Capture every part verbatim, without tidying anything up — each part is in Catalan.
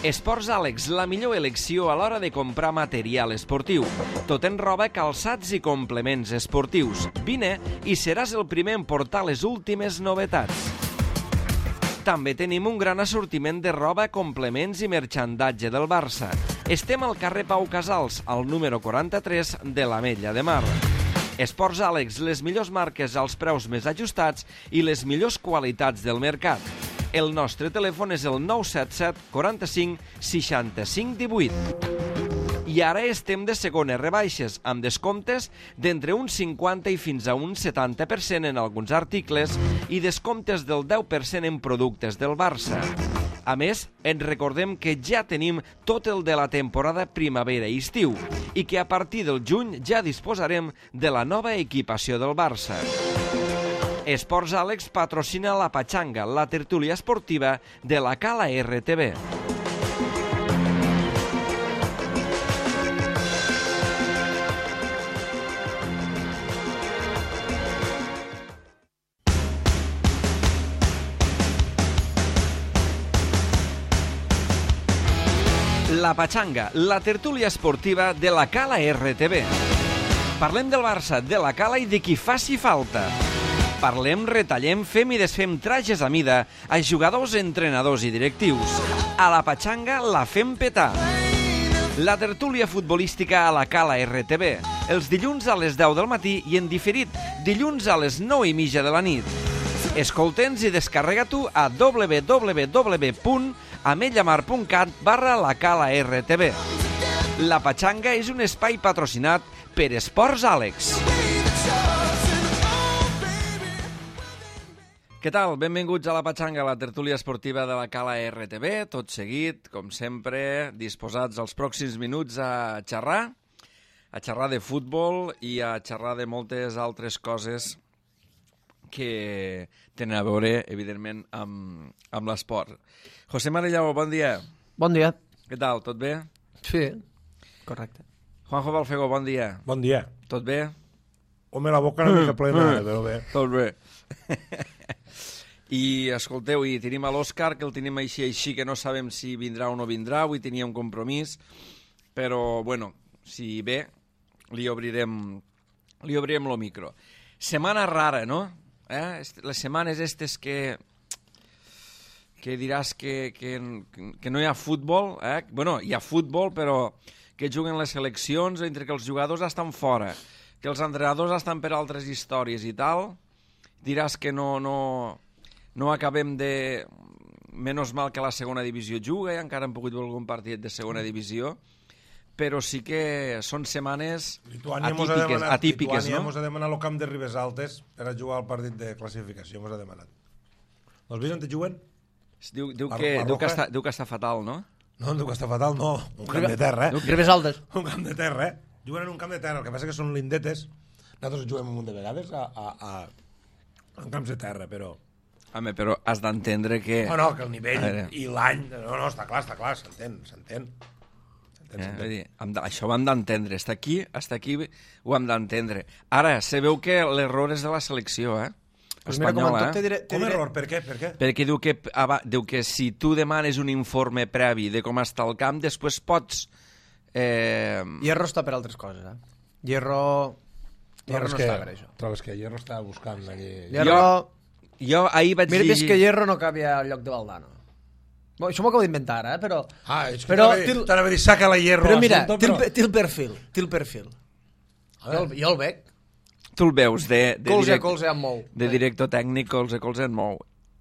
Esports Àlex, la millor elecció a l'hora de comprar material esportiu. Tot en roba, calçats i complements esportius. Vine i seràs el primer en portar les últimes novetats. També tenim un gran assortiment de roba, complements i merchandatge del Barça. Estem al carrer Pau Casals, al número quaranta-tres de l'Ametlla de Mar. Esports Àlex, les millors marques als preus més ajustats i les millors qualitats del mercat. El nostre telèfon és el nou set set quaranta-cinc seixanta-cinc divuit. I ara estem de segones rebaixes, amb descomptes d'entre un cinquanta i fins a un setanta per cent en alguns articles i descomptes del deu per cent en productes del Barça. A més, ens recordem que ja tenim tot el de la temporada primavera i estiu i que a partir del juny ja disposarem de la nova equipació del Barça. Esports Àlex patrocina la Patxanga, la tertúlia esportiva de la Cala R T V. La Patxanga, la tertúlia esportiva de la Cala R T V. Parlem del Barça, de la Cala i de qui faci falta. Parlem, retallem, fem i desfem trajes a mida a jugadors, entrenadors i directius. A la Patxanga la fem petar. La tertúlia futbolística a la Cala R T V, els dilluns a les deu del matí i en diferit dilluns a les nou i mitja de la nit. Escolta'ns i descarrega-t'ho a w w w punt ametllamar punt cat barra la Cala R T V. La Patxanga és un espai patrocinat per Esports Àlex. Què tal? Benvinguts a la Patxanga, la tertúlia esportiva de la Cala R T V. Tot seguit, com sempre, disposats als pròxims minuts a xerrar, a xerrar de futbol i a xerrar de moltes altres coses que tenen a veure, evidentment, amb, amb l'esport. José Marellao, bon dia. Bon dia. Què tal? Tot bé? Sí, correcte. Juanjo Balfego, bon dia. Bon dia. Tot bé? Home, la boca una mica plena, però bé. Tot bé. I, escolteu, i tenim a l'Òscar, que el tenim així, així, que no sabem si vindrà o no vindrà, avui tenia un compromís, però, bueno, si ve, li obrirem, li obrirem el micro. Setmana rara, no? Eh? Les setmanes estes que... que diràs que, que, que no hi ha futbol, eh? Bueno, hi ha futbol, però que juguen les seleccions, entre que els jugadors estan fora, que els entrenadors estan per altres històries i tal, diràs que no, no, no acabem de... Menys mal que la segona divisió juga i encara hem pogut veure algun partit de segona divisió, però sí que són setmanes atípiques, atípiques, Lituània no? Lituània ha demanat el camp de Ribes Altes per a jugar al partit de classificació, mos ha demanat. No els veus on te juguen? Diu, diu, que, diu, que està, diu que està fatal, no? No, diu que està fatal, no. Un camp de terra, eh? Ribes Altes. Un camp de terra, eh? Juguen en un camp de terra, el que passa que són lindetes. Nosaltres juguem un munt de vegades a, a, a, en camps de terra, però... Home, però has d'entendre que... No, no, que el nivell i l'any... No, no, està clar, està clar, s'entén, s'entén. Eh, dir, de, això ho hem d'entendre. Està aquí, està aquí, ho hem d'entendre. Ara, se veu que l'error és de la selecció, eh? Pues mira, com, espanyola, eh? diré, Com diré... error? Per què? Per què? Perquè diu que, diu que si tu demanes un informe previ de com està el camp, després pots... Eh... Hierro està per altres coses, eh? Hierro... Hierro no que, està per això. Trobes que Hierro està buscant aquí... Hierro... Jo, jo ahir vaig Mira, dir... Mira, que Hierro no cabia al lloc de Valdano. Bo, això m'ho acabo d'inventar, eh? Però... Ah, és que però, t'anava a dir, saca la Hierro... Però mira, assunto, té, però... el, té el perfil, té el perfil. Jo el, jo el veig. Tu el veus de, de, colze direct, a colze en mou. de director tècnic, colze a colze en mou.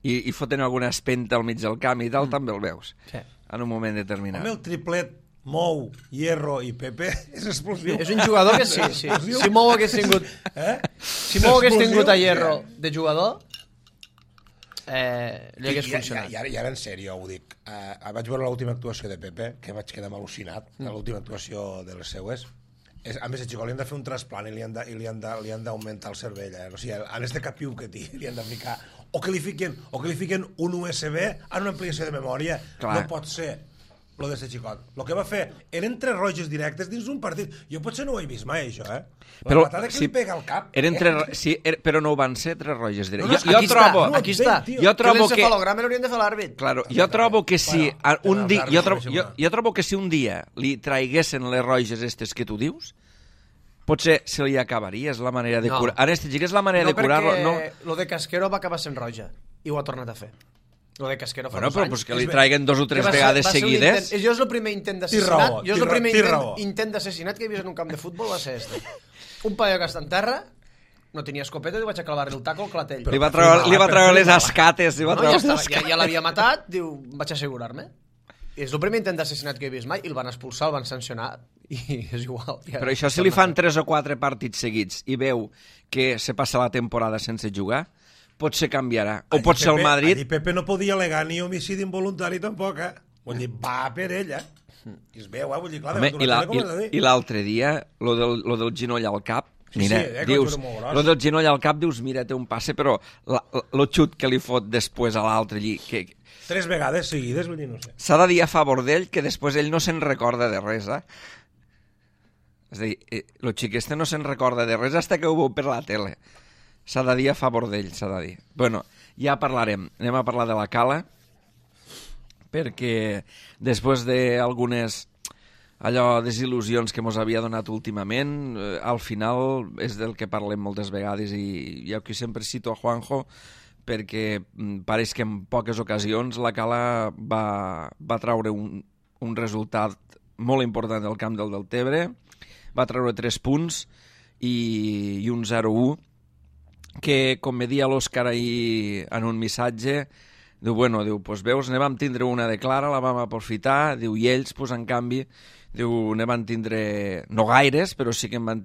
I, i foten alguna espenta al mig del camp i tal, mm. també el veus. Sí. En un moment determinat. Home, el triplet Mou, Hierro i Pepe és explosiu. És un jugador que sí, sí. Si Mou hagués tingut... Eh? Si Mou hagués tingut a Hierro de jugador, eh, li hagués I, funcionat. I, i, ara, I ara en sèrio, ho dic. Uh, vaig veure l'última actuació de Pepe, que vaig quedar al·lucinat, mm. l'última actuació de les seues. És, a més, el xicó li han de fer un trasplant i li han de, i li han de, li han d'augmentar el cervell. Eh? O sigui, en este capiu que té, li han de ficar... O que li fiquen, o que li fiquen un U S B en una ampliació de memòria. Clar. No pot ser. lo de ser xicot. El que va fer eren tres roges directes dins d'un partit. Jo potser no ho he vist mai, això, eh? La però, patada que sí, li pega al cap. Eren eh? tres, sí, er, però no ho van ser tres roges directes. No, no, jo, aquí jo trobo, està, no, aquí està. Jo trobo que... L'encefalograma l'haurien de fer l'àrbit. Claro, jo trobo que si Bueno, un dia, jo, trobo, àrbits, jo, jo trobo que si un dia li traiguessin les roges estes que tu dius, potser se li acabaria, és la manera de No. curar. Ara, este xic és la manera No, de curar-lo. No, perquè lo de Casquero va acabar sent roja i ho ha tornat a fer. Lo de Casquero fa bueno, dos però anys. pues, que li traiguen dos o tres Que va ser- vegades va ser un seguides. Intent, jo és el primer intent Té d'assassinat. raó, Jo és té el primer raó, té intent, raó. intent d'assassinat que he vist en un camp de futbol va ser este. Un paio que està en terra, no tenia escopeta i li vaig a clavar-li el taco al clatell. Li va treure, li va treure les Però- escates. Li va No, treure ja, les estava, ja, ja l'havia matat, diu, vaig assegurar-me. I és el primer intent d'assassinat que he vist mai i el van expulsar, el van sancionar i és igual. Ja, Però això, si li fan tres o quatre partits seguits i veu que se passa la temporada sense jugar, potser canviarà. O Allí potser el Pepe- Madrid... allí Pepe no podia alegar ni homicidi involuntari tampoc, eh? Vull dir, va per ella. I es veu, eh? Vull dir, clar, Home, davant i d'una la- tele com has de i- dir. i l'altre dia, lo del, lo del ginoll al cap, Sí, mira, sí, eh, que dius, era molt gros. lo del ginoll al cap, dius, mira, té un passe, però la, lo xut que li fot després a l'altre allí, que Tres vegades seguides, vull dir, no sé. s'ha de dir a favor d'ell que després ell no se'n recorda de res, eh? És a dir, eh, lo xic este no se'n recorda de res hasta que ho veu per la tele. S'ha de dir a favor d'ell, s'ha de dir. Bueno, ja parlarem. Anem a parlar de la Cala, perquè després d'algunes allò desil·lusions que mos havia donat últimament, eh, al final és del que parlem moltes vegades i jo aquí sempre cito a Juanjo perquè mm, pareix que en poques ocasions la Cala va, va traure un, un resultat molt important del camp del Deltebre, va treure tres punts i, i un zero a u que, com me dia l'Òscar ahir en un missatge, diu, bueno, diu, pues veus, ne vam tindre una de clara, la vam aprofitar, diu, i ells, pues, en canvi, diu, ne van tindre, no gaires, però sí que en van,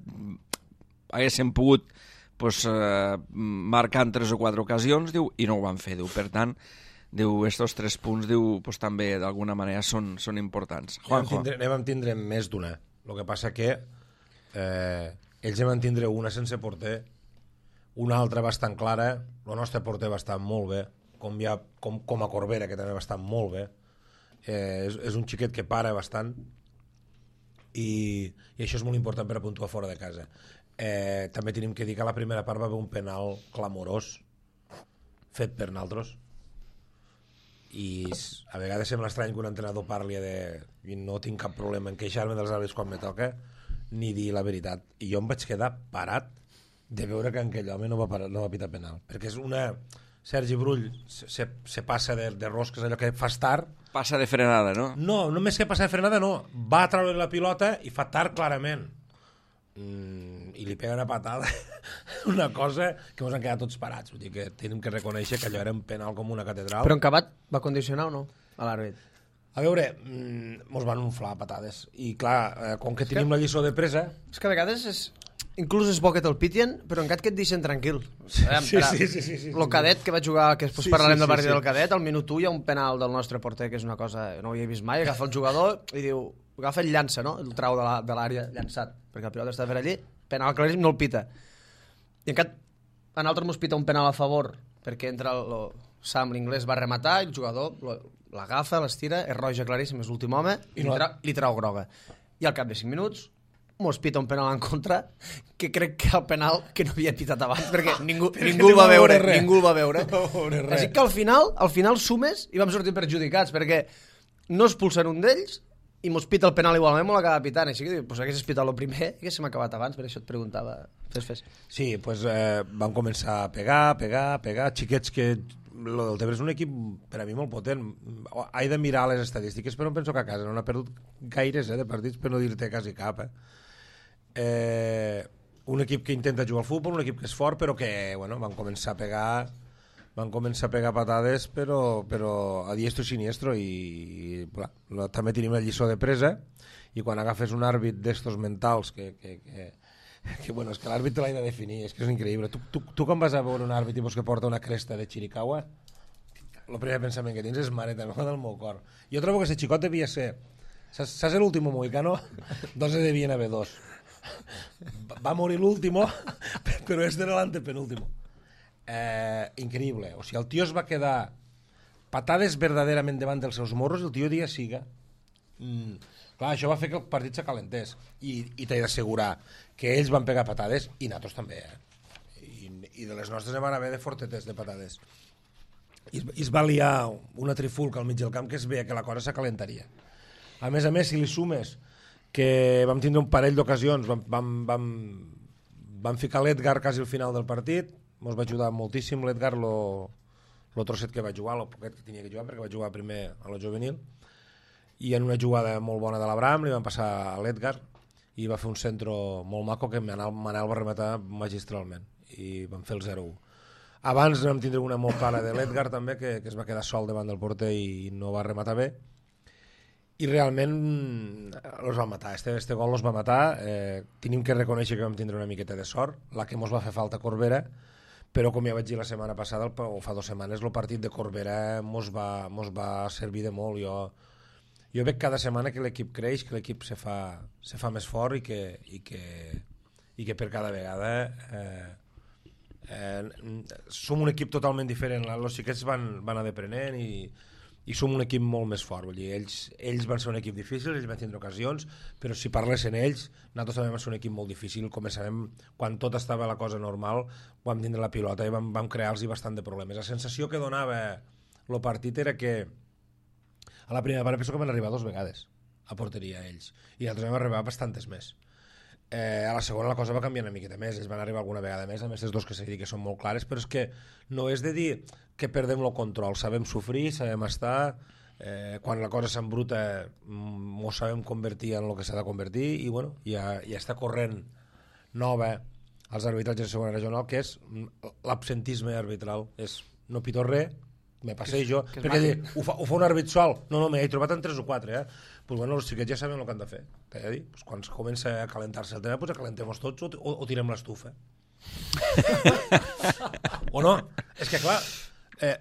haguessin pogut pues, eh, marcar en tres o quatre ocasions, diu, i no ho van fer, diu, per tant, diu, estos tres punts, diu, pues, també d'alguna manera són, són importants. Ne vam Juanjo. tindre, ne vam tindre més d'una. El que passa que eh, ells ne van tindre una sense porter, una altra bastant clara, el nostre porter va estar molt bé, com, ja, com, com a Corbera, que també va estar molt bé. Eh, és, és un xiquet que para bastant i, i això és molt important per a puntuar fora de casa. Eh, també tenim que dir que a la primera part va haver un penal clamorós fet per naltros i a vegades sembla estrany que un entrenador parli de i no tinc cap problema en queixar-me dels àrbits quan me toca ni dir la veritat, i jo em vaig quedar parat de veure que aquell home no va, parar, no va pitar penal, perquè és una... Sergi Brull se, se, se passa de, de rosques, allò que fas tard. Passa de frenada, no? No, només que passa de frenada, no. Va a treure la pilota i fa tard clarament. Mm, I li pega una patada. Una cosa que ens han quedat tots parats. Vull dir que tenim que reconèixer que allò era un penal com una catedral. Però en Cabat va condicionar o no a l'àrbit? A veure, mm, mos van unflar patades. I clar, eh, com que tenim que... la lliçó de presa... És que a vegades és... Inclús és bo que te'l pitien, però encara que et deixen tranquil. Sí, sí, sí, sí, sí, sí. El cadet que va jugar, que després Sí, parlarem sí, del sí, partit sí. del cadet, al minut u hi ha un penal del nostre porter, que és una cosa que no ho havia vist mai, agafa el jugador i diu, agafa el llança, no? El trau de la- de l'àrea llançat, perquè el pilot està per allí, penal claríssim, no el pita. I encara en altres mos pita un penal a favor, perquè entra el, el Sam, l'inglès, va rematar, i el jugador lo- l'agafa, l'estira, és roja claríssim, és l'últim home, i I li, no- trau, li trau groga. I al cap de cinc minuts mos pita un penal en contra, que crec que el penal que no havia pitat abans, perquè ningú, Perquè ningú el no va va veure, veure res. ningú el va veure. No va veure res. Així que al final, al final sumes i vam sortir perjudicats, perquè no expulsen un d'ells i mos pita el penal igualment, m'ho l'acaba pitant. Així que diu, pues haguessis pitat el primer, haguéssim acabat abans, per això et preguntava. Fes, fes. Sí, pues, eh, van començar a pegar, pegar, pegar, xiquets que... Lo del Tebre és un equip per a mi molt potent. He de mirar les estadístiques, però em penso que a casa no n'ha perdut gaires eh, de partits, per no dir-te quasi cap. Eh. Eh, un equip que intenta jugar al futbol, un equip que és fort, però que bueno, van començar a pegar van començar a pegar patades, però, però a diestro i siniestro, i, i clar, lo, també tenim la lliçó de presa, i quan agafes un àrbit d'estos mentals que, que, que, que bueno, és que l'àrbit te l'ha de definir, és que és increïble. Tu, tu, tu quan vas a veure un àrbit tipus que porta una cresta de Chiricahua, el primer pensament que tens és mare meva del meu cor. Jo trobo que ese xicot devia ser, saps, saps l'último mohicano? Doncs ne devien haver dos. Va morir l'último, però este era l'antepenúltimo. Eh, increïble. O sigui, el tio es va quedar patades verdaderament davant dels seus morros, el tio dia siga. Mm, clar, això va fer que el partit s'acalentés i, i t'he d'assegurar que ells van pegar patades i nosaltres també, eh? I, i de les nostres van haver de fortetes de patades i es, i es va liar una trifulca al mig del camp que es veia que la cosa s'acalentaria. A més a més, si li sumes que vam tindre un parell d'ocasions, vam, vam, vam, vam ficar l'Edgar quasi al final del partit, ens va ajudar moltíssim l'Edgar, lo, lo trosset que va jugar, el poquet que tenia que jugar, perquè va jugar primer a la juvenil, i en una jugada molt bona de l'Abraham li van passar a l'Edgar i va fer un centre molt maco que Manel, Manel va rematar magistralment i van fer el zero u. Abans vam tindre una molt clara de l'Edgar també, que, que es va quedar sol davant del porter i no va rematar bé, i realment els va matar, este, este gol els va matar. Eh, tenim que reconèixer que vam tindre una miqueta de sort, la que mos va fer falta Corbera, però com ja vaig dir la setmana passada, o fa dues setmanes, el partit de Corbera mos va, mos va servir de molt. Jo, jo veig cada setmana que l'equip creix, que l'equip se fa, se fa més fort i que, i que, i que per cada vegada eh, eh, som un equip totalment diferent. Els xiquets van, van anar deprenent i i som un equip molt més fort. Vull dir, ells, ells van ser un equip difícil, ells van tindre ocasions, però si parlessin ells, nosaltres també vam ser un equip molt difícil. Començarem, quan tot estava la cosa normal, vam tindre la pilota i vam, vam crear-los bastant de problemes. La sensació que donava el partit era que a la primera part penso que van arribar dues vegades a porteria ells, i nosaltres vam arribar bastantes més. Eh, a la segona la cosa va canviar una miqueta més, ells van arribar alguna vegada més, a més els dos que s'ha dit que són molt clares, però és que no és de dir que perdem el control, sabem sofrir, sabem estar, eh, quan la cosa s'embruta m'ho sabem convertir en el que s'ha de convertir, i bueno, ja, ja està corrent nova als arbitratges de segona regional, que és l'absentisme arbitral, és no pito res, me passejo, que, que perquè dir, ho, fa, ho fa un àrbit sol, no, no, m'he trobat en tres o quatre, eh? Pues bueno, els xiquets ja saben el que han de fer, t'he de dir, pues quan comença a calentar-se el tema, pues acalentem-nos tots o, o, o tirem l'estufa. O no? És que clar, eh,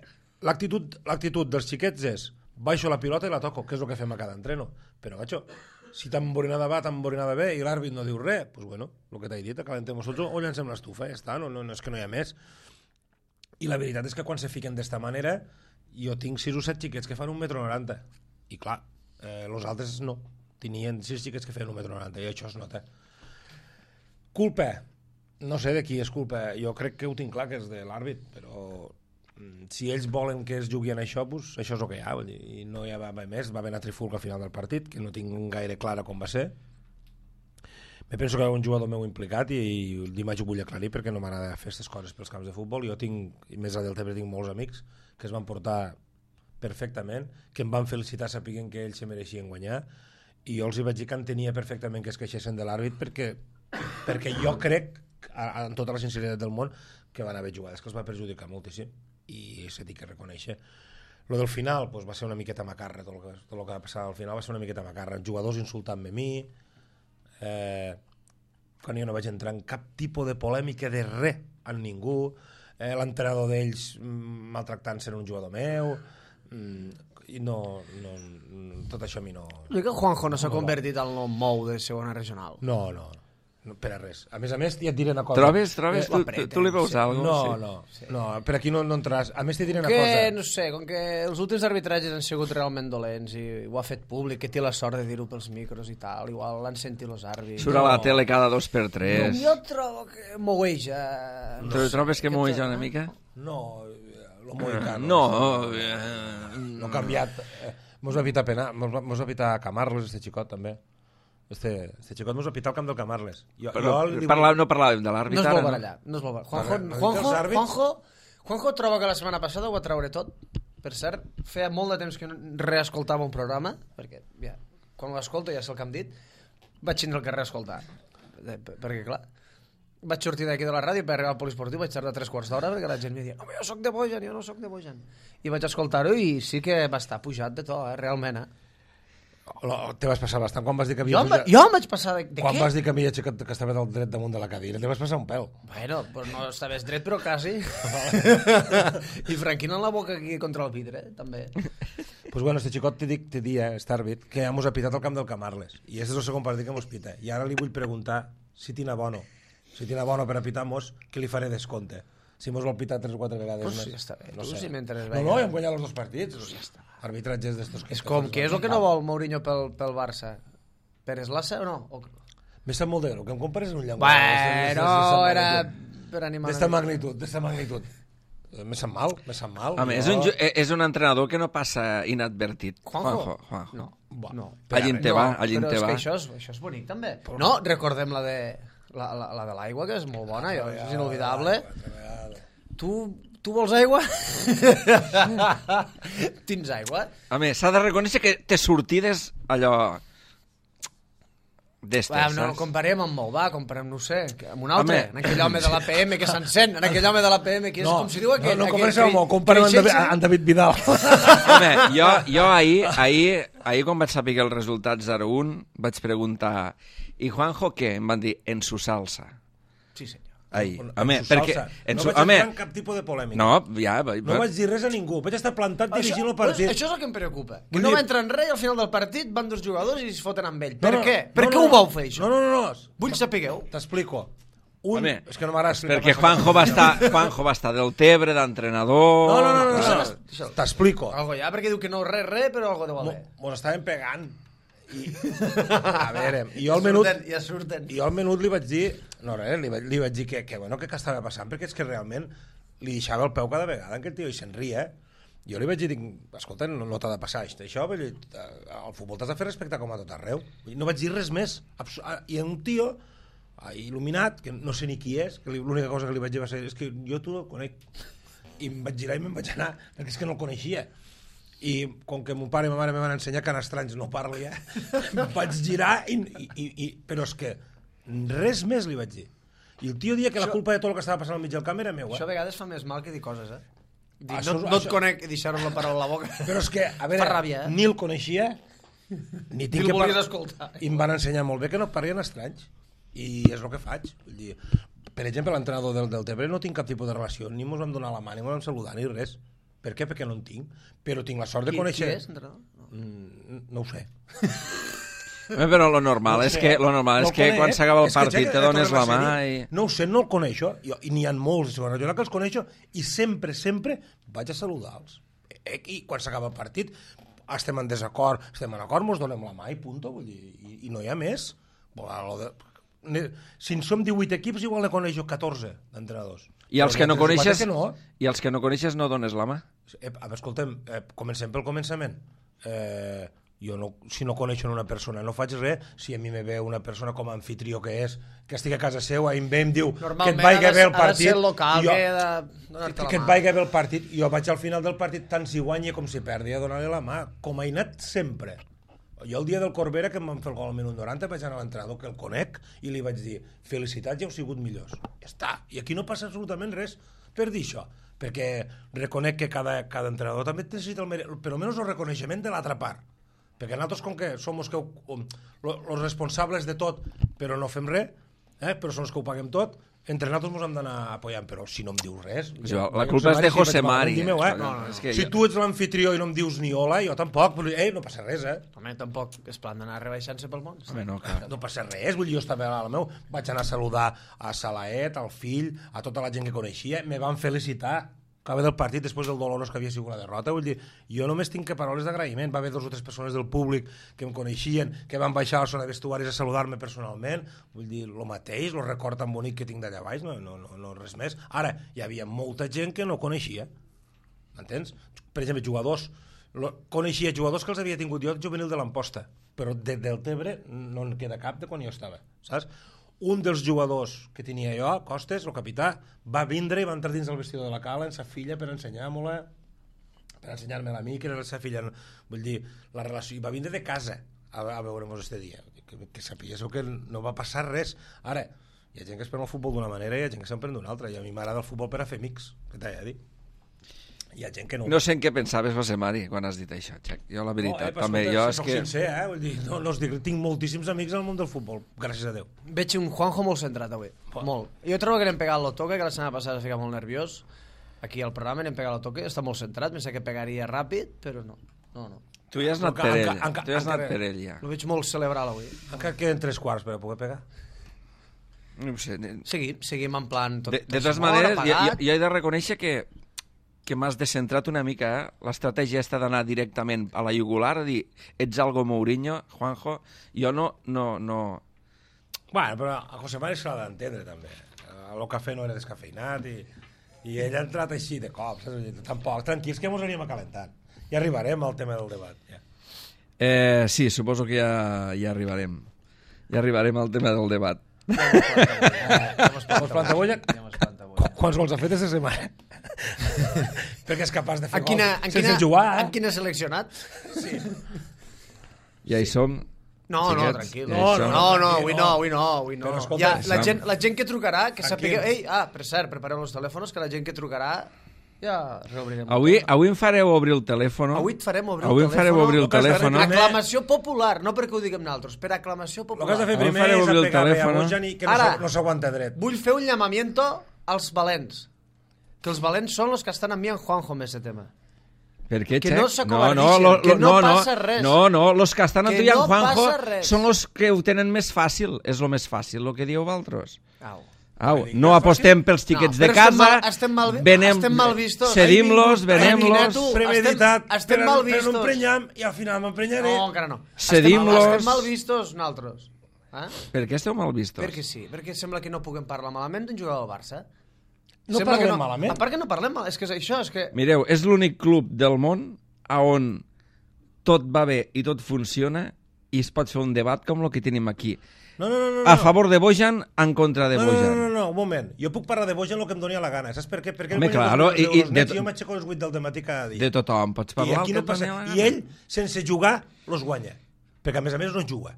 l'actitud l'actitud dels xiquets és baixo la pilota i la toco, que és el que fem a cada entreno, però gacho, si tan borinada va, tan borinada bé i l'àrbit no diu res, pues bueno, el que t'he dit, acalentem-nos tots o llancem l'estufa, ja està, no, no, no és que no hi ha més. I la veritat és que quan se fiquen d'esta manera, jo tinc sis o set xiquets que fan un metro noranta, i clar, eh, els altres no, tenien sis xiquets que feien un metro noranta, i això es nota. Culpa, no sé de qui és culpa, jo crec que ho tinc clar que és de l'àrbit, però mm, si ells volen que es jugui en això, pues, això és el que hi ha, i no hi va haver més, va haver una trifulca al final del partit, que no tinc gaire clara com va ser. Me penso que hi ha un jugador meu implicat i, i dimarts ho vull aclarir perquè no m'agrada fer aquestes coses pels camps de futbol. Jo tinc, i més a Deltebre tinc molts amics que es van portar perfectament, que em van felicitar sapiguent que ells se mereixien guanyar, i jo els hi vaig dir que entenia perfectament que es queixessin de l'àrbit perquè, perquè jo crec, amb tota la sinceritat del món, que van haver jugades que els va perjudicar moltíssim, i s'ha dit que reconèixer. Lo del final pues, va ser una miqueta macarra, tot el, que, tot el que va passar al final va ser una miqueta macarra, jugadors insultant-me a mi, Eh, quan jo no vaig entrar en cap tipus de polèmica de res amb ningú, eh, l'entrenador d'ells maltractant-se en un jugador meu, mm, i no, no, tot això a mi no... I que Juanjo no s'ha no convertit en el mou de segona regional? No, no, no, per a res. A més a més, ja et diré una cosa. Trobes, trobes? Eh, tu, tu, tu li veus sí. alguna cosa? No, sí. no, sí. no, per aquí no, no entraràs. A més, t'hi diré una que, cosa. No sé, com que els últims arbitratges han sigut realment dolents i ho ha fet públic, que té la sort de dir-ho pels micros i tal, igual l'han sentit els àrbits. Surt a la tele cada dos per tres. No, jo trobo que mogueja... No tu sé, trobes que mogueja una mica? No, lo moicano. No, eh, no ha canviat. Eh, mos va evitar penar, mos va evitar Camarles, este xicot, també. Este, este xicot mos va pitar al camp del Camarles. Jo, però jo parla, no parlàvem de l'àrbit. No es vol no? barallar, no es vol barallar. Juanjo, Juanjo, Juanjo, Juanjo troba que la setmana passada ho va treure tot. Per cert, feia molt de temps que no reescoltava un programa, perquè ja, quan l'escolto ja sé el que hem dit, vaig tindre el que reescoltar. Perquè, clar, vaig sortir d'aquí de la ràdio per arribar al poliesportiu, vaig tardar tres quarts d'hora perquè la gent em deia no, jo soc de Bojan, jo no soc de Bojan. I vaig escoltar-ho i sí que va estar pujat de tot, eh, realment, eh. Te vas passar bastant quan vas dir que havia... Jo, pujat... jo em vaig passar de, de quan què? Quan vas dir que havia aixecat que estava del dret damunt de la cadira, te vas passar un pèl. Bueno, pues no estaves dret, però quasi. I franquint la boca aquí contra el vidre, eh, també. Pues bueno, este xicot te dic, te dia, este àrbit, que ja mos ha pitat al camp del Camarles. I aquest és el segon partit que mos pita. I ara li vull preguntar si tina bono. Si tina bono per a pitar-mos, que li faré descompte. Si mos vol pitar tres o quatre vegades Pues més. sí, està bé. No Tu sé. si mentre No, veia- no, hem guanyat els dos partits. Pues ja està. Arbitratges d'estos que... És com, què és el que no vol Mourinho pel, pel Barça? Pérez Lassa o no? O... M'he sap molt de greu, que em compares en un llenguatge. Bueno, era per animar... D'esta magnitud, d'esta magnitud. M'he sap mal, m'he sap mal. Home, és un, ju- és un entrenador que no passa inadvertit. Juanjo? Juanjo. No, Buah. no. Allí en te va, allí en però te és va. que això és, això és bonic, també. No, recordem la de la, la, la de l'aigua, que és molt bona, jo, és inolvidable. Tu, tu vols aigua? Tens aigua? Home, s'ha de reconèixer que té sortides allò... d'estes, Va, no, saps? comparem amb molt, va, comparem, no ho sé, amb un altre, Home. en aquell home de l'A P M que s'encén, en aquell home de l'A P M que és No, com si diu aquell... no, no aquell comparem amb, que- comparem amb, que David, aixeca- amb David Vidal. Home, jo, jo ahir, ahir, ahir quan vaig saber el resultat zero un, vaig preguntar, i Juanjo què? Em van dir, en su salsa. Sí, senyor. Ahir. En Home, su perquè... salsa. En no su, vaig home, entrar en cap tipus de polèmica. no, ja... va- No vaig dir res a ningú. Vaig estar plantat dirigint el partit. Això, això és el que em preocupa. Que Vull no dir- va entrar en res i al final del partit van dos jugadors i es foten amb ell. No, Per no, què? Per no, què no, ho vau fer, això? No, no, no. no. Vull sapigueu. T'explico. Un... Home, és que no m'agrada explicar perquè massa Juanjo va, coses. estar, Juanjo va estar del Tebre, d'entrenador... No, no, no, no, no, Deixa'l, no. deixa'l. T'explico. Algo ja, perquè diu que no res, res, però algo deu Mo- haver. Mos estaven pegant. I... A veure, i jo al menut... Surten, ja surten. I jo al menut li vaig dir... No, res, li vaig, li vaig dir que, que, bueno, que què estava passant, perquè és que realment li deixava el peu cada vegada en aquell tio i se'n ria. Jo li vaig dir, dic, escolta, no, no t'ha de passar això, vull dir, el futbol t'has de fer respectar com a tot arreu. No vaig dir res més. Abs- I un tio il·luminat, que no sé ni qui és, que li- l'única cosa que li vaig dir va ser, és que jo tu no el conec. I em vaig girar i me'n vaig anar, perquè és que no el coneixia. I com que mon pare i ma mare me van ensenyar que en estranys no parli, eh? em vaig girar i, i, i, però és que res més li vaig dir. I el tio dia que la Això- culpa de tot el que estava passant al mig del camp era meu, Això a eh? vegades fa més mal que dir coses, eh? Dir, Això- no, no et això- conec i deixar-ho la paraula a la boca. Però és que, a veure, Fa ràbia, eh? ni el coneixia, ni tinc Ni el que volies par- escoltar. I em van ensenyar molt bé que no parlien estranys. I és el que faig. Vull dir, per exemple, l'entrenador del, del Tebre no tinc cap tipus de relació, ni mos vam donar la mà, ni mos vam saludar, ni res. Per què? Perquè no en tinc. Però tinc la sort de Qui, conèixer... qui és, entrenador? No. Mm, no ho sé. Home, però lo normal No és sé, que, lo normal no és que el quan conec. s'acaba el És que, partit Jack, te dones la tornem mà a ser-hi. i... No ho sé, no el coneixo, jo, i n'hi ha molts, jo que els coneixo, i sempre, sempre vaig a saludar-los. Eh, I quan s'acaba el partit, estem en desacord, estem en acord, mos donem la mà i punto, vull dir, i, i no hi ha més. Bueno, de... Si en som divuit equips, igual ne coneixo catorze d'entrenadors. I els Però que no n'hi ha tres o quatre coneixes, que no. i els que no coneixes no dones la mà. Eh, a veure, escolta'm, eh, comencem pel començament. Eh, jo no, si no coneixo una persona no faig res, si a mi me ve una persona com a anfitrió que és, que estigui a casa seva i em ve i em diu que et Normalment vagi ha de, bé el ha de partit ser el local, i jo, que ha de donar-te que la et mà. vagi bé el partit, jo vaig al final del partit tant si guanyi com si perdi a donar-li la mà, com he anat sempre. Jo el dia del Corbera, que em van fer el gol al minut noranta, vaig anar a l'entrenador, que el conec, i li vaig dir, felicitats, ja heu sigut millors. Ja està. I aquí no passa absolutament res per dir això, perquè reconec que cada, cada entrenador també necessita el mere... per almenys el reconeixement de l'altra part. Perquè nosaltres, com que som els que um, los responsables de tot, però no fem res, eh? però som els que ho paguem tot, entre nosaltres ens hem d'anar apoyant, però si no em dius res... Jo, ja, la culpa és de José Mari. Eh? Meu, eh? No, no, és que si jo- tu ets l'anfitrió i no em dius ni hola, jo tampoc, però, eh, no passa res, eh? Home, tampoc és plan d'anar rebaixant-se pel món. Home, no, clar. No passa res, vull dir, jo estava a la meu, vaig anar a saludar a Salaet, al fill, a tota la gent que coneixia, me van felicitar acaba del partit després del dolorós que havia sigut la derrota, vull dir, jo només tinc que paraules d'agraïment, va haver dos o tres persones del públic que em coneixien, que van baixar a la zona de vestuaris a saludar-me personalment, vull dir, el mateix, el record tan bonic que tinc d'allà baix, no, no, no, no res més. Ara, hi havia molta gent que no coneixia, m'entens? Per exemple, jugadors, lo, coneixia jugadors que els havia tingut jo juvenil de l'Amposta, però de, del Tebre no en queda cap de quan jo estava, saps? Un dels jugadors que tenia jo, Costes, el capità, va vindre i va entrar dins el vestidor de la cala amb sa filla per ensenyar-me-la, per ensenyar-me-la a mi, que era la sa filla. Vull dir, la relació... I va vindre de casa a, a veure'm este dia. Que, que sapiguéssiu que no va passar res. Ara, hi ha gent que es pren el futbol d'una manera i hi ha gent que se'n pren d'una altra. I a mi m'agrada el futbol per a fer amics, que t'he de dir. Hi ha gent que no... No sé en què pensaves, José Mari, quan has dit això, Xac. Jo, la veritat, no, eh, també, escolta, jo si és soc que... sincer, eh? Vull dir, no, no us dic, tinc moltíssims amics al món del futbol, gràcies a Déu. Veig un Juanjo molt centrat avui, Bon. molt. Jo trobo que n'hem pegat lo toque, que la setmana passada es fica molt nerviós. Aquí al programa n'hem pegat lo toque, està molt centrat, pensava que pegaria ràpid, però no. No, no. Tu ja has anat Enca- per ell, enca- enca- tu ja has anat encara- per ell, ja. Lo veig molt celebral avui. Encara queden tres quarts per a poder pegar. No sé. Seguim, seguim en plan... Tot, De, de totes maneres, jo, jo, jo he de reconèixer que que m'has descentrat una mica, eh? L'estratègia està d'anar directament a la jugular, a dir, ets algo Mourinho, Juanjo, jo no... no, no... Bueno, però a José Mari se l'ha d'entendre, també. El cafè no era descafeinat i, i ell ha entrat així de cop, saps? Tampoc, tranquils, que mos anirem acalentant. Ja arribarem al tema del debat, ja. Eh, sí, suposo que ja, ja arribarem. Ja arribarem al tema del debat. Vols planta bolla? Quants gols ha fet aquesta setmana? Perquè és capaç de fer en quina, gols en sense quina, jugar. Eh? En quin ha seleccionat? Sí. Ja hi som. No, Xiquets, no, tranquil. ja No, hi no, som. no, no, avui no, avui no, avui no. Però escolta, ja, la, som. gent, la gent que trucarà, que sapigueu... Tranquil. Ei, ah, per cert, prepareu els telèfons, que la gent que trucarà ja reobrirem. Avui, avui em fareu obrir el telèfon. Avui et farem obrir avui el em fareu telèfon. obrir el El que has de fer telèfon. primer- Aclamació popular, no perquè ho diguem nosaltres, per aclamació El que has popular. de fer Avui primer faré és obrir el apegar bé a telèfon. Bojani, que no Ara. s'ha- no s'aguanta dret. Vull fer un llamamiento als valents. Que els valents són els que estan enviant Juanjo amb aquest tema. Per què, Que Xec? no no, s'acovardixen, lo, que lo, no no, passa res. No, no, los que estan Que enviant no Juanjo passa res. són els que ho tenen més fàcil. És el més fàcil, el que dieu vosaltres. Au. Au, no apostem pels xiquets No, de però estem casa, mal- estem mal- venem, estem mal vistos. cedim-los, Ai, venem-los, tu, Premeditat, estem- estem però, mal però no vistos. emprenyam i al final m'emprenyaré. No, encara no. Cedim-los. Estem, estem mal vistos nosaltres. Eh? Per què esteu mal vistos? Perquè sí, perquè sembla que no puguem parlar malament d'un jugador del Barça. No Sembla que parlem malament. A part que no parlem mal, és que és això, és que... Mireu, és l'únic club del món a on tot va bé i tot funciona i es pot fer un debat com el que tenim aquí. No, no, no, no. A favor de Bojan, en contra de No, no, Bojan. no, no, no, un moment. Jo puc parlar de Bojan el que em doni la gana. Saps per què? Perquè Home, ell guanya claro, dos milions i- i d'euros de nets to- jo m'aixeco a les vuit del dematí cada dia. De tothom, pots I parlar aquí el no que passa... et doni la I gana. ell, sense jugar, los guanya. Perquè a més a més no juga.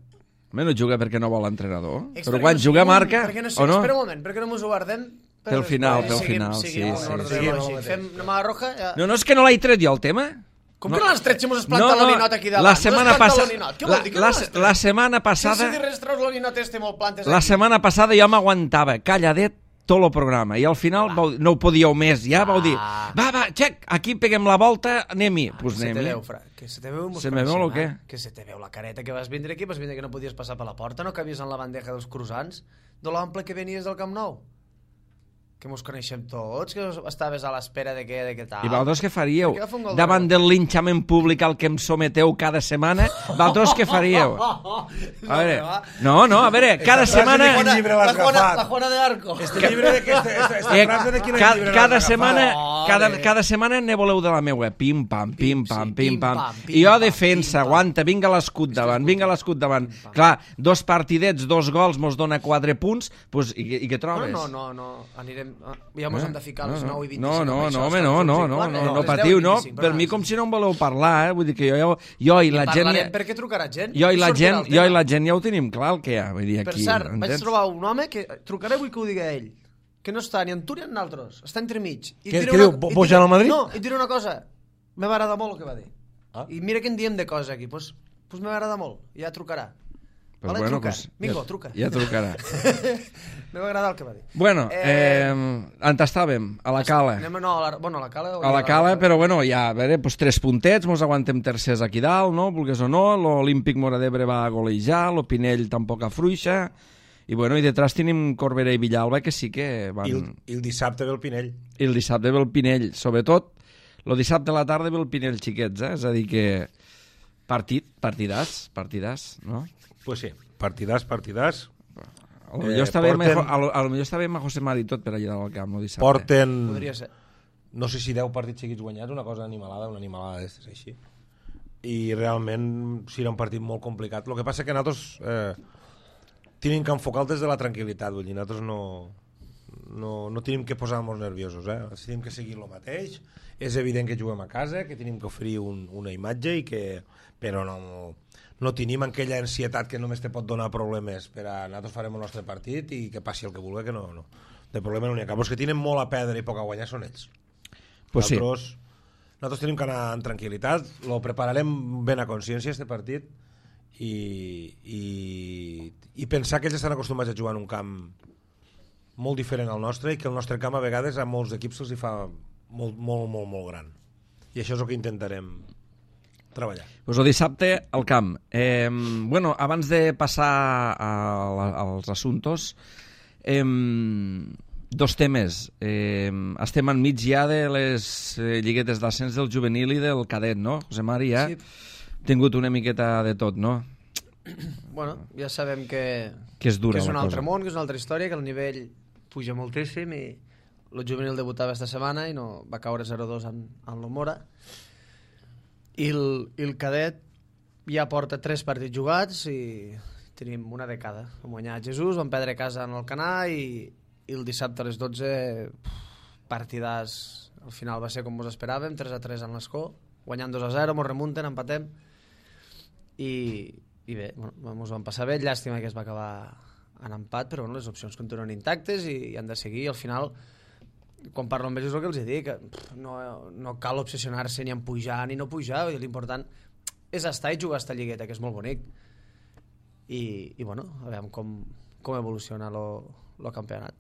Home, no juga perquè no vol l'entrenador. És Però perquè quan no juga siguem- marca, perquè no, o no? Espera un moment, perquè no mos ho guardem... Pel final, pel Seguim- final, seguim sí, un ordre sí, sí. lògic. Fem una mà roja... Ja... No, no, és que no l'he tret jo, el tema. Com no. que no l'has tret si mos has plantat l'olinot aquí davant? La setmana passada... Què La, vol dir que la, no l'has tret? la setmana Sense passada... dir res, treus l'olinot este molt plantes La aquí. setmana passada jo m'aguantava calladet tot el programa i al final vau, no ho podíeu més, ja vau dir va, va, Xec, aquí peguem la volta, anem-hi. Pues Que se te anem-hi. veu, fra, que se te veu mos Se me veu coneixem, o què? eh? Que se te veu la careta que vas vindre aquí, vas vindre que no podies passar per la porta, no cabies en la bandeja dels croissants, de l'ample que venies del Camp Nou. Que mos coneixem tots, que estaves a l'espera de què, de què tal. I vosaltres què faríeu? Per què va fer un gol de Davant gol? del linxament públic al que em someteu cada setmana, vosaltres què faríeu? A veure, no, no, a veure, cada frase setmana... de quin llibre l'has la Juana, agafat? la Juana de Arco. Este llibre de que... Esta, esta, esta Eh, frase de quin ca, llibre cada l'has setmana, agafat? cada, Ole. cada setmana ne voleu de la meva, pim pam, pim pam, sí, pim pim, pam. pam, pim, I jo pam, defensa, pim, pam. aguanta, vinga l'escut davant, vinga l'escut davant. Clar, dos partidets, dos gols, mos dona quatre punts, pues, i, i què No, trobes? no, no, no, anirem... ah, Ja mos hem de ficar a les nou i vint-i-cinc. No, no, amb això, no, home, està no, tots no, i no, quatre, no, a no les patiu, deu i no, vint-i-cinc, per però mi no, com si no em voleu parlar, eh? Vull dir que jo, jo i I la gent... parlarem perquè trucarà gent. Jo i la sortirà gent, el jo tema. i la gent ja ho tenim clar el que hi ha, vull dir, Per aquí, cert, vaig entens? trobar un home que trucaré, vull que ho digui ell, que no està ni en tu ni en nosaltres, està entremig. I Què- diré què una- diu, Bo- i Bojan diré- al Madrid? No, i et diré una cosa, me va agradar molt el que va dir. Ah. I mira que en diem de coses aquí, doncs pues, pues me va agradar molt, i ja trucarà. Pues Vale, bueno, truca. pues, Mingo, ja, truca. Ja trucarà. Me va agradar el que va dir. Bueno, Eh, eh, on estàvem? A la cala. Anem a, no, a la, bueno, a la cala. o A la a cala, però bueno, ja, a veure, doncs tres puntets, mos aguantem tercers aquí dalt, no? Vulgues o no, l'Olímpic Móra d'Ebre va golejar, el Pinell tampoc afluixa, i bueno, i detrás tenim Corbera i Villalba, que sí que van... I el, I el dissabte ve el Pinell. I el dissabte ve el Pinell, sobretot, el dissabte a la tarda ve el Pinell xiquets, eh? És a dir que partit, partidàs, partidàs, no? Pues sí, partidàs, partidàs. A lo millor Eh, està bé porten- a lo, a lo millor està bé amb José Mari tot per allà al camp, el dissabte. Porten, Podria ser. no sé si deu partits seguits guanyats, una cosa animalada, una animalada d'estes així. I realment serà un partit molt complicat. El que passa que nosaltres eh, tenim que enfocar des de la tranquil·litat, vull dir, nosaltres no, no, no tenim que posar-nos nerviosos, eh? Tenim que seguir el mateix. És evident que juguem a casa, que tenim que oferir un, una imatge, i que, però no, no tenim aquella ansietat que només te pot donar problemes per a nosaltres farem el nostre partit i que passi el que vulgui, que no, no. De problema no n'hi ha cap. Els que tenen molt a perdre i poc a guanyar són ells. Pues sí. Nosaltres, nosaltres tenim que anar en tranquil·litat, lo prepararem ben a consciència, este partit, i, i, i pensar que ells estan acostumats a jugar en un camp molt diferent al nostre, i que el nostre camp a vegades a molts equips se'ls hi fa molt, molt, molt, molt gran. I això és el que intentarem treballar. Pues el dissabte al camp. Eh, bueno, abans de passar a la, als assuntos, Eh, dos temes. Eh, estem enmig ja de les eh, lliguetes d'ascens del juvenil i del cadet, no? José Mari ja ha Sí. tingut una miqueta de tot, no? Bueno, ja sabem que, Que és dura que és la un altre cosa. món, que és una altra història, que el nivell puja moltíssim i el juvenil debutava esta setmana i no va caure zero dos en, en l'Humora. I el, i el cadet ja porta tres partits jugats i tenim una de cada. Vam guanyar a Jesús, vam perdre a casa en el Canà i, i el dissabte a les dotze partidàs. Al final va ser com ens esperàvem, tres a tres en l'Escó, guanyant dos a zero, mos remunten, empatem i, i bé, bueno, ens vam passar bé. Llàstima que es va acabar en empat, però bueno, les opcions continuen intactes i, i han de seguir. I al final, quan parlo amb ells és el que els dic, que pff, no, no cal obsessionar-se ni en pujar ni no pujar, l'important és estar i jugar a esta lligueta, que és molt bonic. I, i bueno, a veure com, com evoluciona el campionat.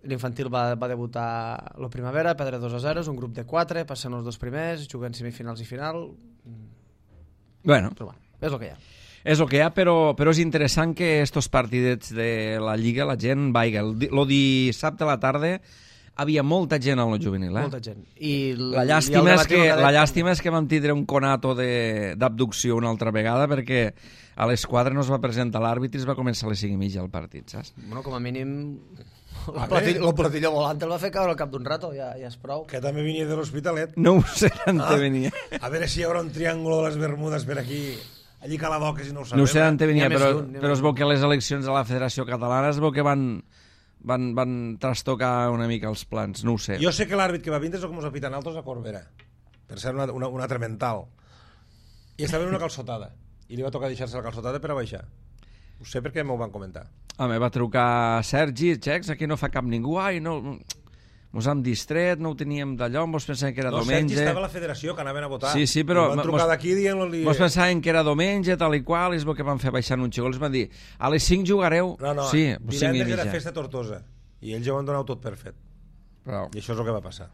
L'infantil va, va debutar la primavera, perdre dos a zero, és un grup de quatre, passen els dos primers, juguen semifinals i final. Bueno, Però bueno, és el que hi ha. és el que hi ha, però, però és interessant que estos partidets de la Lliga la gent vaiga. El, di- lo dissabte a la tarda havia molta gent al juvenil, eh? Molta gent. I l- La i el llàstima, és debat que, cadet la llàstima és que vam tindre un conato de- d'abducció una altra vegada perquè a les quatre no es va presentar l'àrbitre i es va començar a les cinc i mitja el partit, saps? Bueno, com a mínim A el platillo, el platillo volant el va fer caure al cap d'un rato, ja, ja és prou. Que també venia de l'Hospitalet. No ho sé d'on Ah. te venia. A veure si hi haurà un triàngulo de les Bermudes per aquí. Allí Caladoca, si no ho sabem. No ho sé d'on te venia, N'hi ha més però, d'un, n'hi ha però més es veu que les eleccions de la Federació Catalana es veu que van, van, van trastocar una mica els plans, no ho sé. Jo sé que l'àrbit que va vindre és el que ens apitan altres a Corbera, per ser una, una, una altra mental. I estava en una calçotada. I li va tocar deixar-se la calçotada per a baixar. Ho sé perquè m'ho van comentar. Home, va trucar Sergi, xecs, aquí no fa cap ningú, ai, no... Mos hem distret, no ho teníem d'allò, mos pensaven que era No, Sergi diumenge... estava a la federació, que anaven a votar. Sí, sí, però I van mos- trucar d'aquí dient-li... Mos pensaven que era diumenge, tal i qual, i es veu que van fer baixar un xicó, els van dir, a les cinc jugareu? No, no, sí, pues cinc i divendres era mitja. festa a Tortosa. I ells ja ho han donat tot per fet. Però... I això és el que va passar.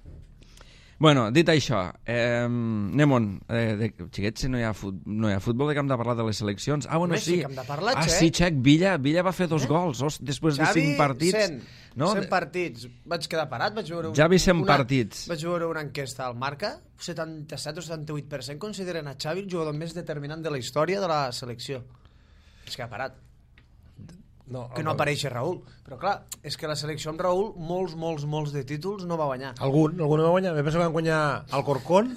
Bueno, dit això, eh, anem-on. Eh, de, xiquets, si no hi, ha fut, no hi ha futbol, de que hem de parlar de les seleccions. Ah, bueno, Home, sí. sí que hem de parlar, ah, Xec. sí, Xec, Villa, Villa va fer dos eh? gols os, després de Xavi, cinc partits. cent, no? cent partits. Vaig quedar parat, vaig veure... Un, Javi, cent una, partits. Vaig veure una enquesta al Marca, setanta-set o setanta-vuit per cent consideren a Xavi el jugador més determinant de la història de la selecció. Es queda parat. No, Que no apareix Raül. Però clar, és que la selecció amb Raül, molts, molts, molts de títols no va guanyar. Algun, algun no va guanyar. Me penso que van guanyar el Corcón,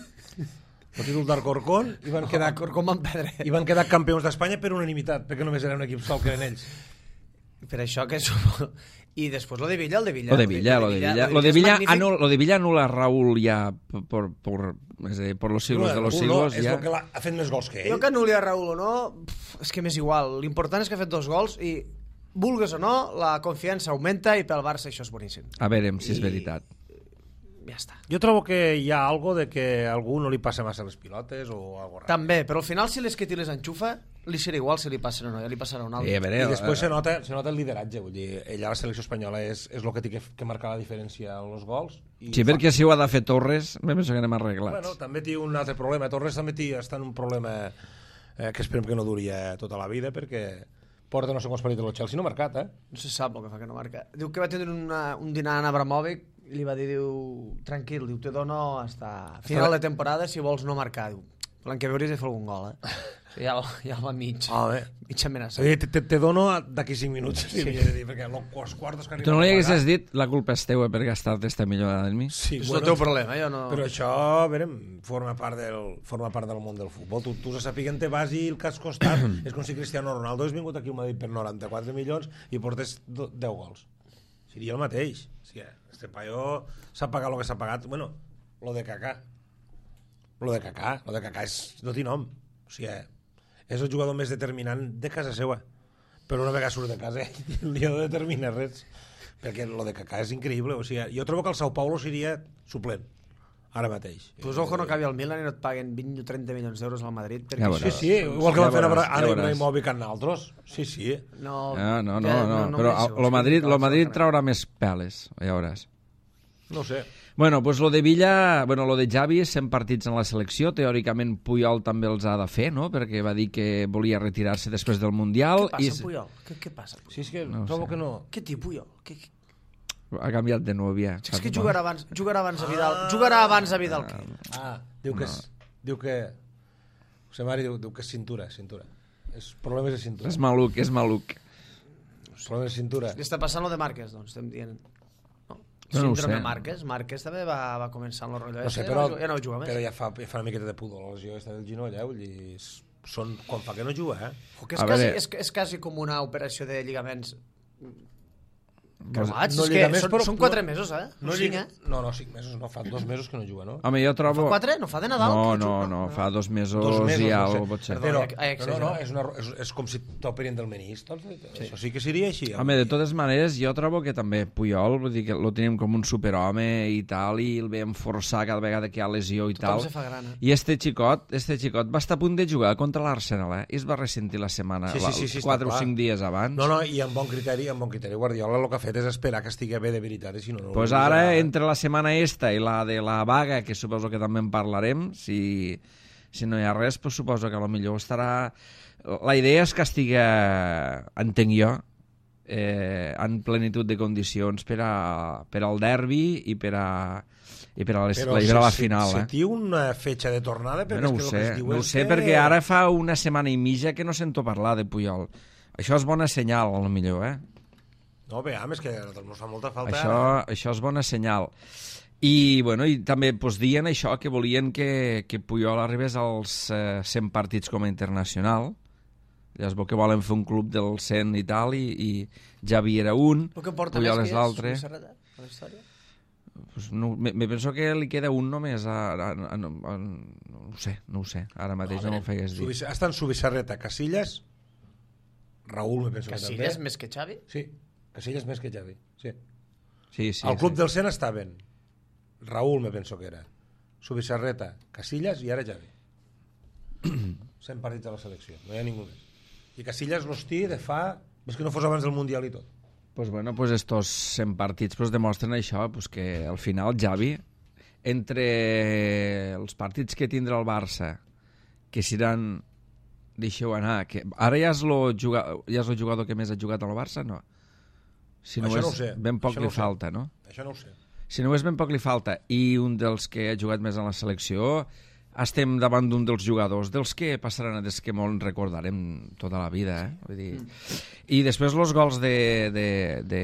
el títol d'Alcorcón, i van quedar, Com van perdre. i van quedar campions d'Espanya per unanimitat, perquè només era un equip sol que eren ells. Per això que... Som... I després lo de Villa, el de Villa. Lo de Villa, lo de Villa. Lo de Villa, anul, lo de Villa anula a Raúl ya por, por, es decir, por los siglos de los Raül siglos. no, és ja. el que l'ha- ha fet més gols que ell. Jo que anul·li a Raül o no, pff, és que m'és igual. L'important és que ha fet dos gols i, vulgues o no, la confiança augmenta i pel Barça això és boníssim. A veure si és I- veritat. Ja està. Jo trobo que hi ha algo de que a algú no li passa massa les pilotes o algo raro. També, però al final si les que les enxufa, li serà igual si li passen o no, ja li passarà un altre. Eh, a veure, I després eh, se nota, se nota el lideratge, vull dir, ella a la selecció espanyola és, és el que té que, que marcar la diferència en els gols. I sí, fa- perquè si ho ha de fer Torres, me penso que anem arreglats. Bueno, també té un altre problema. Torres també té, està en un problema eh, que esperem que no duri eh, tota la vida, perquè porta no sé quants partits del Chelsea, no ha marcat, eh? No se sap el que fa que no marca. Diu que va tindre una, un dinar en Abramovic i li va dir, diu, tranquil, diu, te dono hasta final de temporada si vols no marcar. Diu, l'any que ve hauries de fer algun gol, eh? Ja, ja va mig, Ah, bé. mig amenaçat. Oye, te, te, te dono d'aquí cinc minuts, sí. Dir, perquè els quartos que Tu no li haguessis dit la culpa és teua per gastar-te esta millora en mi? Sí, És el teu problema, jo no... Però això, a veure, forma part del, forma part del món del futbol. Tu, tu se sapiguen te vas i el que has costat és com si Cristiano Ronaldo hagués vingut aquí a Madrid per noranta-quatre milions i portes do- deu gols. Seria el mateix. Sí, este paio s'ha pagat el que s'ha pagat. Bueno, lo de Kaká. Lo de Kaká. Lo de Kaká és, no té nom. O sigui, és el jugador més determinant de casa seva. Però una vegada surt de casa li ha de determinar res. Perquè lo de Kaká és increïble. O sigui, jo trobo que el Sao Paulo seria suplent. Ara mateix. Pues ojo, no acabi al Milan i no et paguen vint o trenta milions d'euros al Madrid. Perquè Ja això- veuràs. Sí, sí, igual que Ja van fer veuràs, ara ja ara veuràs. Ibrahimovic amb altres. Sí, sí. No, Ah, no, no, que no, no però mereixo, lo Madrid, és que lo cal Madrid fer. traurà més peles, ja veuràs. No ho sé. Bueno, pues lo de Villa, bueno, lo de Xavi és cent partits en la selecció, teòricament Puyol també els ha de fer, no? Perquè va dir que volia retirar-se després del Mundial. Què passa, i... Puyol? Què, què passa? Puyol? Sí, és que No ho trobo sé. que no... Què té Puyol? Què, què... Ha canviat de nòvia. És que jugarà abans, jugarà abans a Vidal. Jugarà abans a Vidal que ell. Ah, diu que... És, diu que... José Mari diu, diu que és cintura, cintura. És problemes de cintura. És maluc, és maluc. Problemes de cintura. Li està passant lo de Márquez, doncs, estem dient. No? No, no ho Síndrome sé. Márquez. Márquez també va, va començar amb el rotllo. No sé, este, però, ja no juga més. però ja fa, ja fa una miqueta de pudor la lesió aquesta del genoll, eh? Vull dir, són, quan fa que no juga, eh? O que és, A quasi, veure. és, és quasi com una operació de lligaments creuats. no és que lligaments, són, però- són quatre no- mesos, eh? No, cinc, lliga... eh? no, no, cinc mesos, no, fa dos mesos que no juga, no? Home, jo trobo... Fa quatre? No fa de Nadal? No, que no, juga? no, fa dos mesos, Dos mesos, i no algo, sé. potser. Perdó, Però, he- he no, no, no, exagerat. és, una, és, és com si t'operin del menís, doncs, sí. Això sí que seria així. Home, de totes maneres, jo trobo que també Puyol, vull dir que lo tenim com un superhome i tal, i el veiem forçar cada vegada que hi ha lesió i Tothom tal. se fa gran, eh? I este xicot, este xicot va estar a punt de jugar contra l'Arsenal, eh? I es va ressentir la setmana, Sí, sí, sí, sí, està quatre o clar. cinc dies abans. No, no, i amb bon criteri, amb bon criteri. Guardiola el que ha fet és esperar que estigui bé de veritat, i si no... no Pues no ara, serà- entre la setmana esta i la de la vaga, que suposo que també en parlarem, si, si no hi ha res, pues suposo que a lo millor estarà... La idea és que estigui, entenc jo, eh, en plenitud de condicions per, a, per al derbi i per a, i per a, les, Però i per a la se- final. se eh? tiu una fetxa de tornada, perquè no ho és que sé, el que es diu no ho és sé, que... perquè ara fa una setmana i mitja que no sento parlar de Puyol. Això és bona senyal, a lo millor, eh? No, bé, és que ens fa molta falta... Això, això és bona senyal. I, bueno, i també pues, dient això, que volien que, que Puyol arribés als eh, cent partits com a internacional. Llavors veu que volen fer un club del cent i tal, i, i Javi era un, El que porta Puyol més és que l'altre. és Serreta, a la història. Pues no, me, me penso que li queda un només. A, a, a, a, a, no ho sé, no ho sé. Ara mateix no, no m'ho fegues dir. Subis, estan Subisarreta, Casillas, Raúl, me penso que també. Casillas més que Xavi? Sí, Casillas més que Xavi, sí. Sí, sí, Al club sí. del cent estaven Raúl, me penso que era, Subisarreta, Casillas i ara Xavi. cent partits a la selecció, no hi ha ningú més. I Casillas l'hosti de fa... És que no fos abans del Mundial i tot. Pues bueno, pues estos cent partits pues demostren això, pues que al final Xavi, entre els partits que tindrà el Barça, que seran, deixeu anar, que ara ja és el jugador, ja és el jugador que més ha jugat al Barça, no? Si no Això és, no ho sé, ben poc això li no ho sé. falta, no? Això no ho sé. Si no és ben poc li falta, i un dels que ha jugat més en la selecció, estem davant d'un dels jugadors, dels que passaran, des que molt recordarem tota la vida, eh? Vull dir... I després els gols de, de, de,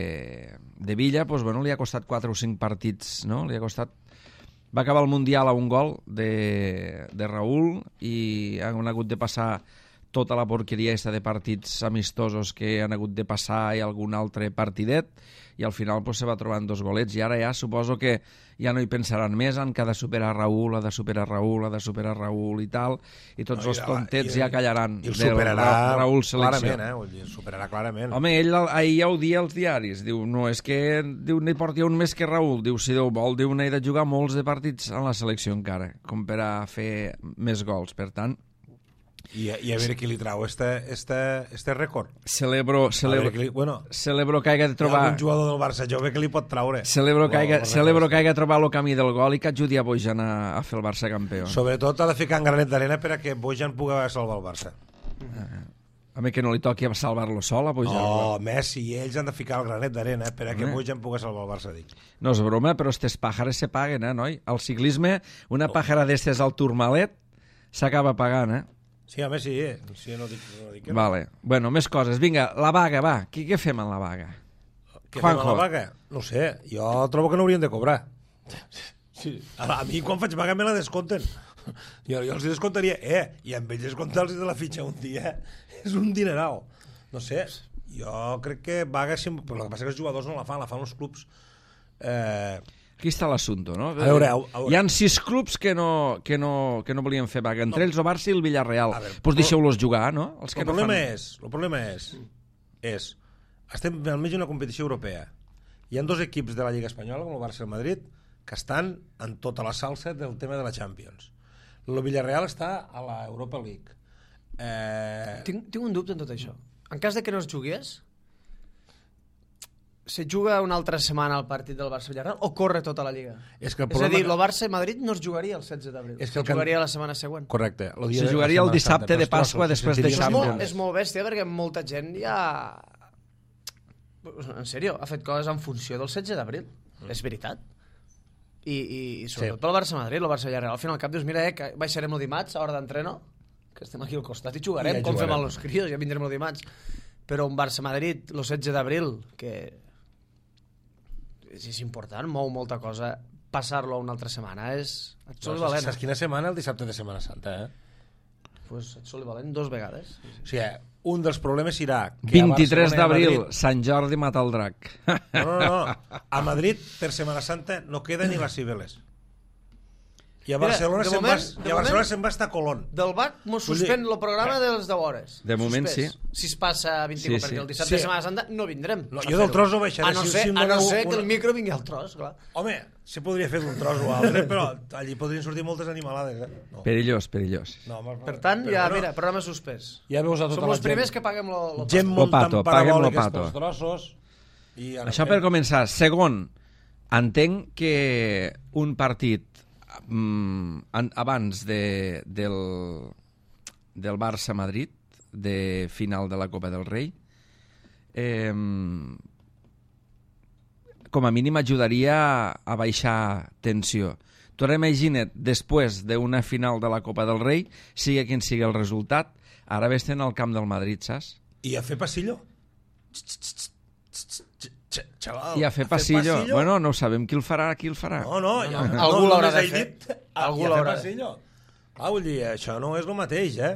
de Villa, pues, bueno, li ha costat quatre o cinc partits, no? Li ha costat... Va acabar el Mundial a un gol de, de Raúl i han hagut de passar tota la porqueria aquesta de partits amistosos que han hagut de passar i algun altre partidet, i al final pues, se va trobant dos golets, i ara ja suposo que ja no hi pensaran més en que ha de superar Raúl, ha de superar Raúl, ha de superar Raúl i tal, i tots No, els i- tontets i- ja callaran I el del superarà Ra Raúl selecció. clarament, eh? Vull dir, el superarà clarament. Home, ell ahir ja ho dia als diaris, diu, no, és que diu, n'hi porti un més que Raúl, diu, si Déu vol, diu, n'he de jugar molts de partits en la selecció encara, com per a fer més gols, per tant, I, I a veure qui li trau este, este, este rècord. celebro, A celebro, veure qui li, bueno, celebro que hagi de hi ha trobar... algun jugador del Barça jove que li pot traure. Celebro que, hagi, Bueno, celebro que hagi trobat el camí del gol i que ajudi a Bojan a, a fer el Barça campió. Sobretot ha de ficar en granet d'arena per a que Bojan pugui salvar el Barça. A mi que no li toqui a salvar-lo sol, a Bojan. Oh, Messi i ells han de ficar el granet d'arena per a que Home. Bojan pugui salvar el Barça, dic. No és broma, però estes pàjares se paguen, eh, noi? Al ciclisme, una pàjara d'estes al Tourmalet s'acaba pagant, eh? Sí, home, sí. eh? Sí, no dic, no dic que no. Vale. Bueno, més coses. Vinga, la vaga, va. Què, què fem en la vaga? Què fem a Juanjo. la vaga? No ho sé, jo trobo que no haurien de cobrar. Sí. A, a mi quan faig vaga me la descompten. Jo, jo els descontaria, eh, i amb ells descomptar-los de la fitxa un dia és un dineral. No sé, jo crec que vaga sempre... Però el que passa és que els jugadors no la fan, la fan els clubs. Eh, Aquí està l'assumpte, no? A veure, a veure. Hi han sis clubs que no, que no, que no volien fer vaga. Entre no. ells el Barça i el Villarreal. A veure, Doncs pues deixeu-los jugar, no? Els que el no problema fan... és, el problema és, és, estem al mig d'una competició europea. Hi ha dos equips de la Lliga Espanyola, com el Barça i el Madrid, que estan en tota la salsa del tema de la Champions. El Villarreal està a la Europa League. Eh... Tinc, tinc un dubte en tot això. En cas de que no es jugués, se juga una altra setmana el partit del Barça-Villarreal o corre tota la Lliga? És, que el És a dir, problema... el Barça-Madrid no es jugaria el setze d'abril, És es que el can- jugaria la setmana següent. Correcte. El dia Se de- jugaria la el Setmana dissabte Santa, de pels Pasqua trossos, després se de És sentiria molt, Champions. és molt bèstia perquè molta gent ja... En sèrio, ha fet coses en funció del setze d'abril. Mm. És veritat. I, i, i sobretot Sí. pel Barça-Madrid, el Barça-Villarreal. Al final al cap dius, mira, eh, que baixarem el dimarts a hora d'entreno, que estem aquí al costat i jugarem, I ja com jugarem. fem amb els crios, ja vindrem el dimarts. Però un Barça-Madrid, el setze d'abril, que és, és important, mou molta cosa, passar-lo a una altra setmana és... Et soli No, valent. saps quina setmana? El dissabte de Setmana Santa, eh? Pues et soli valent dos vegades. O sigui, un dels problemes serà... Que a vint-i-tres Barcelona i a d'abril, Madrid- Sant Jordi mata el drac. No, no, no. A Madrid, per Setmana Santa, no queda ni les Cibeles. I a Mira, Barcelona de se'n moment- va, de i a Barcelona moment- se'n va estar a Colón. Del B A C mos Vull dir- suspèn el programa dels deu hores. De moment, Suspès. sí. Si es passa a vint-i-u, Sí, perquè sí. el dissabte Sí. de Setmana Santa no vindrem. No, a jo del fer-ho. tros no baixaré. A no Si- ser, si em a no doneu ser que una- el micro vingui al tros, clar. Home, se podria fer d'un tros o altre, però allí podrien sortir moltes animalades, eh? No. Perillós, perillós. No, home, Per tant, però ja, bueno, mira, programa suspès. ja veus a tota Som la els gent. primers que paguem lo, lo Gent Lo muntant pato, paguem lo parabòliques pato. pels trossos. I Això per començar. Segon, entenc que un partit mm, an- abans de, del, del Barça-Madrid, de final de la Copa del Rei, eh, com a mínim ajudaria a baixar tensió. Tu ara imagina't, després d'una final de la Copa del Rei, sigui quin sigui el resultat, ara vés-te'n al camp del Madrid, saps? I a fer passillo? Xaval, I a fer passillo. Bueno, no ho sabem qui el farà, qui el farà. No, no, ja, no. no, Algú no, l'haurà només de he fer. dit, Algú i a fer l'haurà de passillo. Ah, vull dir, això no és el mateix, eh?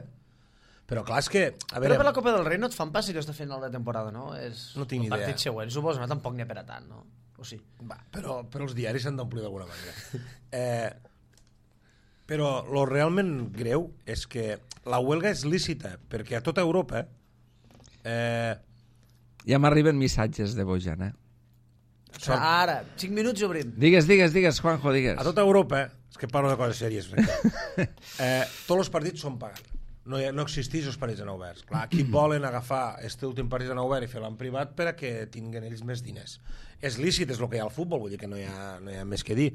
Però clar, és que... A Però veure, per la Copa del Rei no et fan pas si estàs fent la temporada, no? És No tinc ni el partit idea. següent, suposo, no? Tampoc n'hi ha per a tant, no? O sí? va, però, però els diaris s'han d'omplir d'alguna manera. Eh, però lo realment greu és que la huelga és lícita, perquè a tota Europa eh, Ja m'arriben missatges de Bojan, eh? Sort. Ara, cinc minuts i obrim. Digues, digues, digues, Juanjo, digues. a tota Europa, és que parlo de coses sèries, perquè, eh, tots els partits són pagant. No, hi ha, no existeix els partits en oberts. Clar, aquí volen agafar este últim partit en obert i fer-lo en privat per a que tinguin ells més diners. És lícit, és el que hi ha al futbol, vull dir que no hi ha, no hi ha més que dir.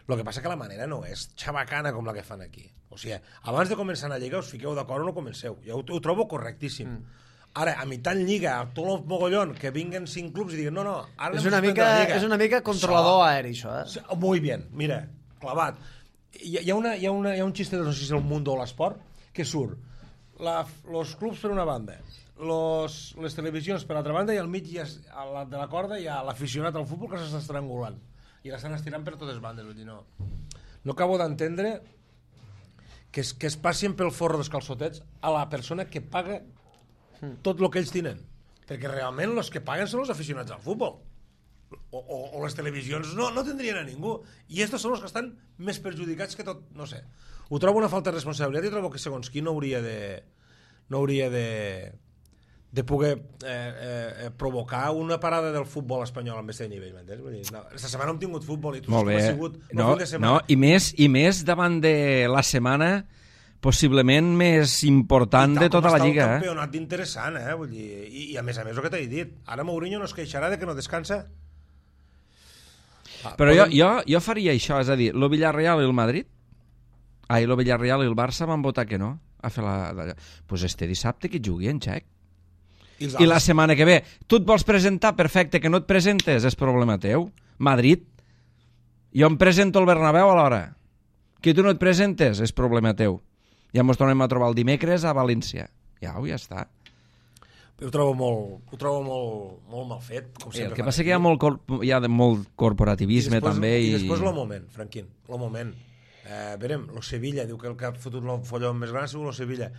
El que passa que la manera no és xabacana com la que fan aquí. O sigui, abans de començar a lliga us fiqueu d'acord o no comenceu. Jo ho, ho trobo correctíssim. Mm. Ara, a mitjan lliga, a tot el mogollón, que vinguen cinc clubs i diguin no, no, ara És anem a una, suspendre mica, la lliga. és una mica controlador Això- aeri, això, eh? Sí, muy bien, mira, clavat. Hi, hi, ha una, hi, ha una, hi ha un xiste de no sé si és el Mundo o l'Esport que surt la, los clubs per una banda, los, les televisions per l'altra banda i al mig hi ha, a la, de la corda hi ha l'aficionat al futbol que s'està estrangulant i l'estan estirant per totes bandes. Vull dir, no, no acabo d'entendre que es, que es passin pel forro dels calçotets a la persona que paga tot el que ells tenen, perquè realment els que paguen són els aficionats al futbol. O, o, o les televisions no, no tindrien a ningú, i estos són els que estan més perjudicats que tot, no sé, ho trobo una falta de responsabilitat i trobo que segons qui no hauria de no hauria de de poder eh, eh, provocar una parada del futbol espanyol amb aquest nivell, m'entens? Vull dir, no, aquesta setmana hem tingut futbol i tu Molt saps bé. que ha sigut un No, fin de setmana. no, i més, i més davant de la setmana possiblement més important de tota la Lliga. I tal com està el Eh? campionat d'interessant, eh? Vull dir, i, i a més a més el que t'he dit, ara Mourinho no es queixarà de que no descansa. Ah, Però jo, poden- jo, jo faria això, és a dir, el Villarreal i el Madrid, ai, el Villarreal i el Barça van votar que no a fer la... Doncs pues este dissabte que jugui en Txec. I, els I la altres- setmana que ve, tu et vols presentar, perfecte, que no et presentes, és problema teu. Madrid, jo em presento al Bernabéu a l'hora. Que tu no et presentes, és problema teu. Ja ens tornem a trobar el dimecres a València. Ja, ja està. Ho trobo molt, ho trobo molt, molt mal fet, com I el sempre. que fan passa aquí. que hi ha molt, corp hi ha de molt corporativisme després, també. I I, després el moment, Franquín, el moment. Eh, verem, lo Sevilla, diu que el que ha fotut el folló més gran ha sigut el Sevilla.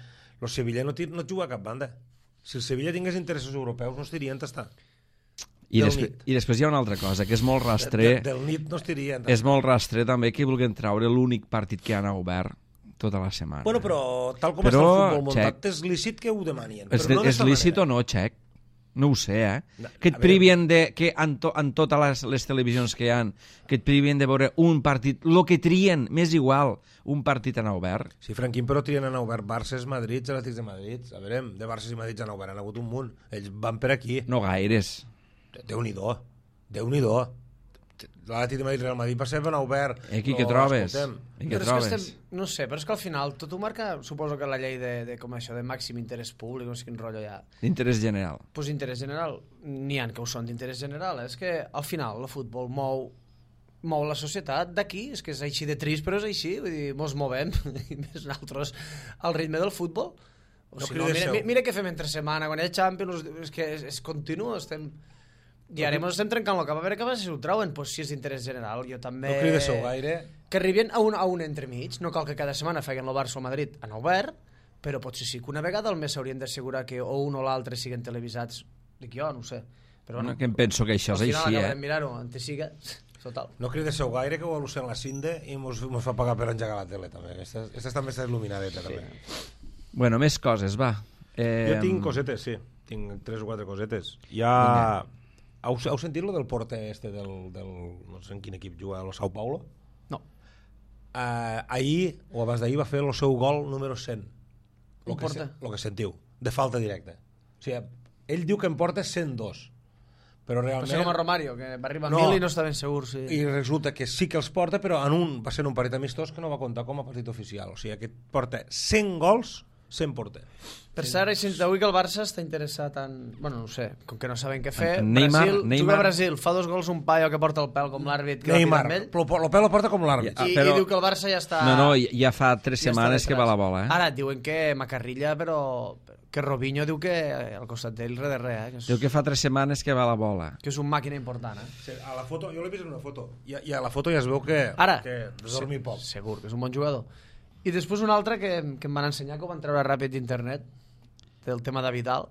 El Sevilla no, ti- no juga a cap banda. Si el Sevilla tingués interessos europeus no estirien tastar. I, del després, nit. I després hi ha una altra cosa, que és molt De, rastre, del nit no estirien és molt rastre també que vulguin treure l'únic partit que han obert tota la setmana. Bueno, però tal com Però, està el futbol muntat, Xec, és lícit que ho demanien. és, però no és d'esta lícit manera. o no, Xec? No ho sé, eh? No, Que et a veure- privien de... Que en, to, en totes les, les televisions que hi han, que et privien de veure un partit, lo que trien, m'és igual, un partit en obert. Sí, Franquín, però trien han obert Barça, Madrid, Atlètics de Madrid. A veure, de Barça i Madrid han obert, han hagut un munt. Ells van per aquí. No gaires. Déu-n'hi-do. Déu-n'hi-do. L'Atlètic de Madrid Real Madrid per sempre n'ha obert. I aquí què trobes? I què trobes? Estem, no sé, però és que al final tot ho marca, suposo que la llei de, de com això, de màxim interès públic, no sé quin rotllo hi ha. D'interès general. Doncs pues interès general, n'hi ha que ho són d'interès general, és que al final el futbol mou mou la societat d'aquí, és que és així de trist, però és així, vull dir, mos movem, i més nosaltres, al ritme del futbol. O no si no, mira, mira, mira què fem entre setmana, quan hi ha Champions, és que és, és continu, estem... I ara ens estem trencant el cap, a veure què passa si ho trauen, doncs si és d'interès general, jo també... No cridéssiu gaire. Que arribin a un, a un entremig, no cal que cada setmana feien el Barça o el Madrid en obert, però potser sí que una vegada al mes s'haurien d'assegurar que o un o l'altre siguen televisats, dic jo, no ho sé. Però bueno, que em penso que això és així, eh? Al final mirar-ho, on te siga, total. No cridéssiu gaire, que ho al·lucen la Cinde i mos, mos fa pagar per engegar la tele, també. Aquesta, aquesta també està il·luminadeta, sí. També. Bueno, més coses, va. Eh... Jo tinc cosetes, sí. Tinc tres o quatre cosetes. Hi ha... Heu, heu sentit lo del porter este del, del... no sé en quin equip juga, el Sao Paulo? No. Uh, ahir, o abans d'ahir, va fer el seu gol número cent. Lo que, se, lo que sentiu, de falta directa. O sigui, ell diu que en porta cent dos. Però realment... Però com a Romario, que va arribar a no, mil i no està ben segur. Sí. I resulta que sí que els porta, però en un, va ser un partit amistós que no va comptar com a partit oficial. O sigui, que porta cent gols, cent porter. Per cert, sí. Avui que el Barça està interessat en... Bueno, no sé, com que no saben què fer. Neymar, Brasil, Neymar. Juga a Brasil, fa dos gols un paio que porta el pèl com l'àrbit. Neymar, el pèl el porta com l'àrbit. I, però... I diu que el Barça ja està... No, no, ja fa tres ja setmanes que va la bola, eh? Ara diuen que Macarrilla, però... Que Robinho diu que al costat d'ell res de res, eh? Que és... Diu que fa tres setmanes que va la bola. Que és un màquina important, eh? Sí, a la foto, jo l'he vist en una foto, i a, i a la foto ja es veu que... Ara, que dormi poc. Segur, que és un bon jugador. I després un altre que, que em van ensenyar, que ho van treure ràpid d'internet, del tema de Vidal.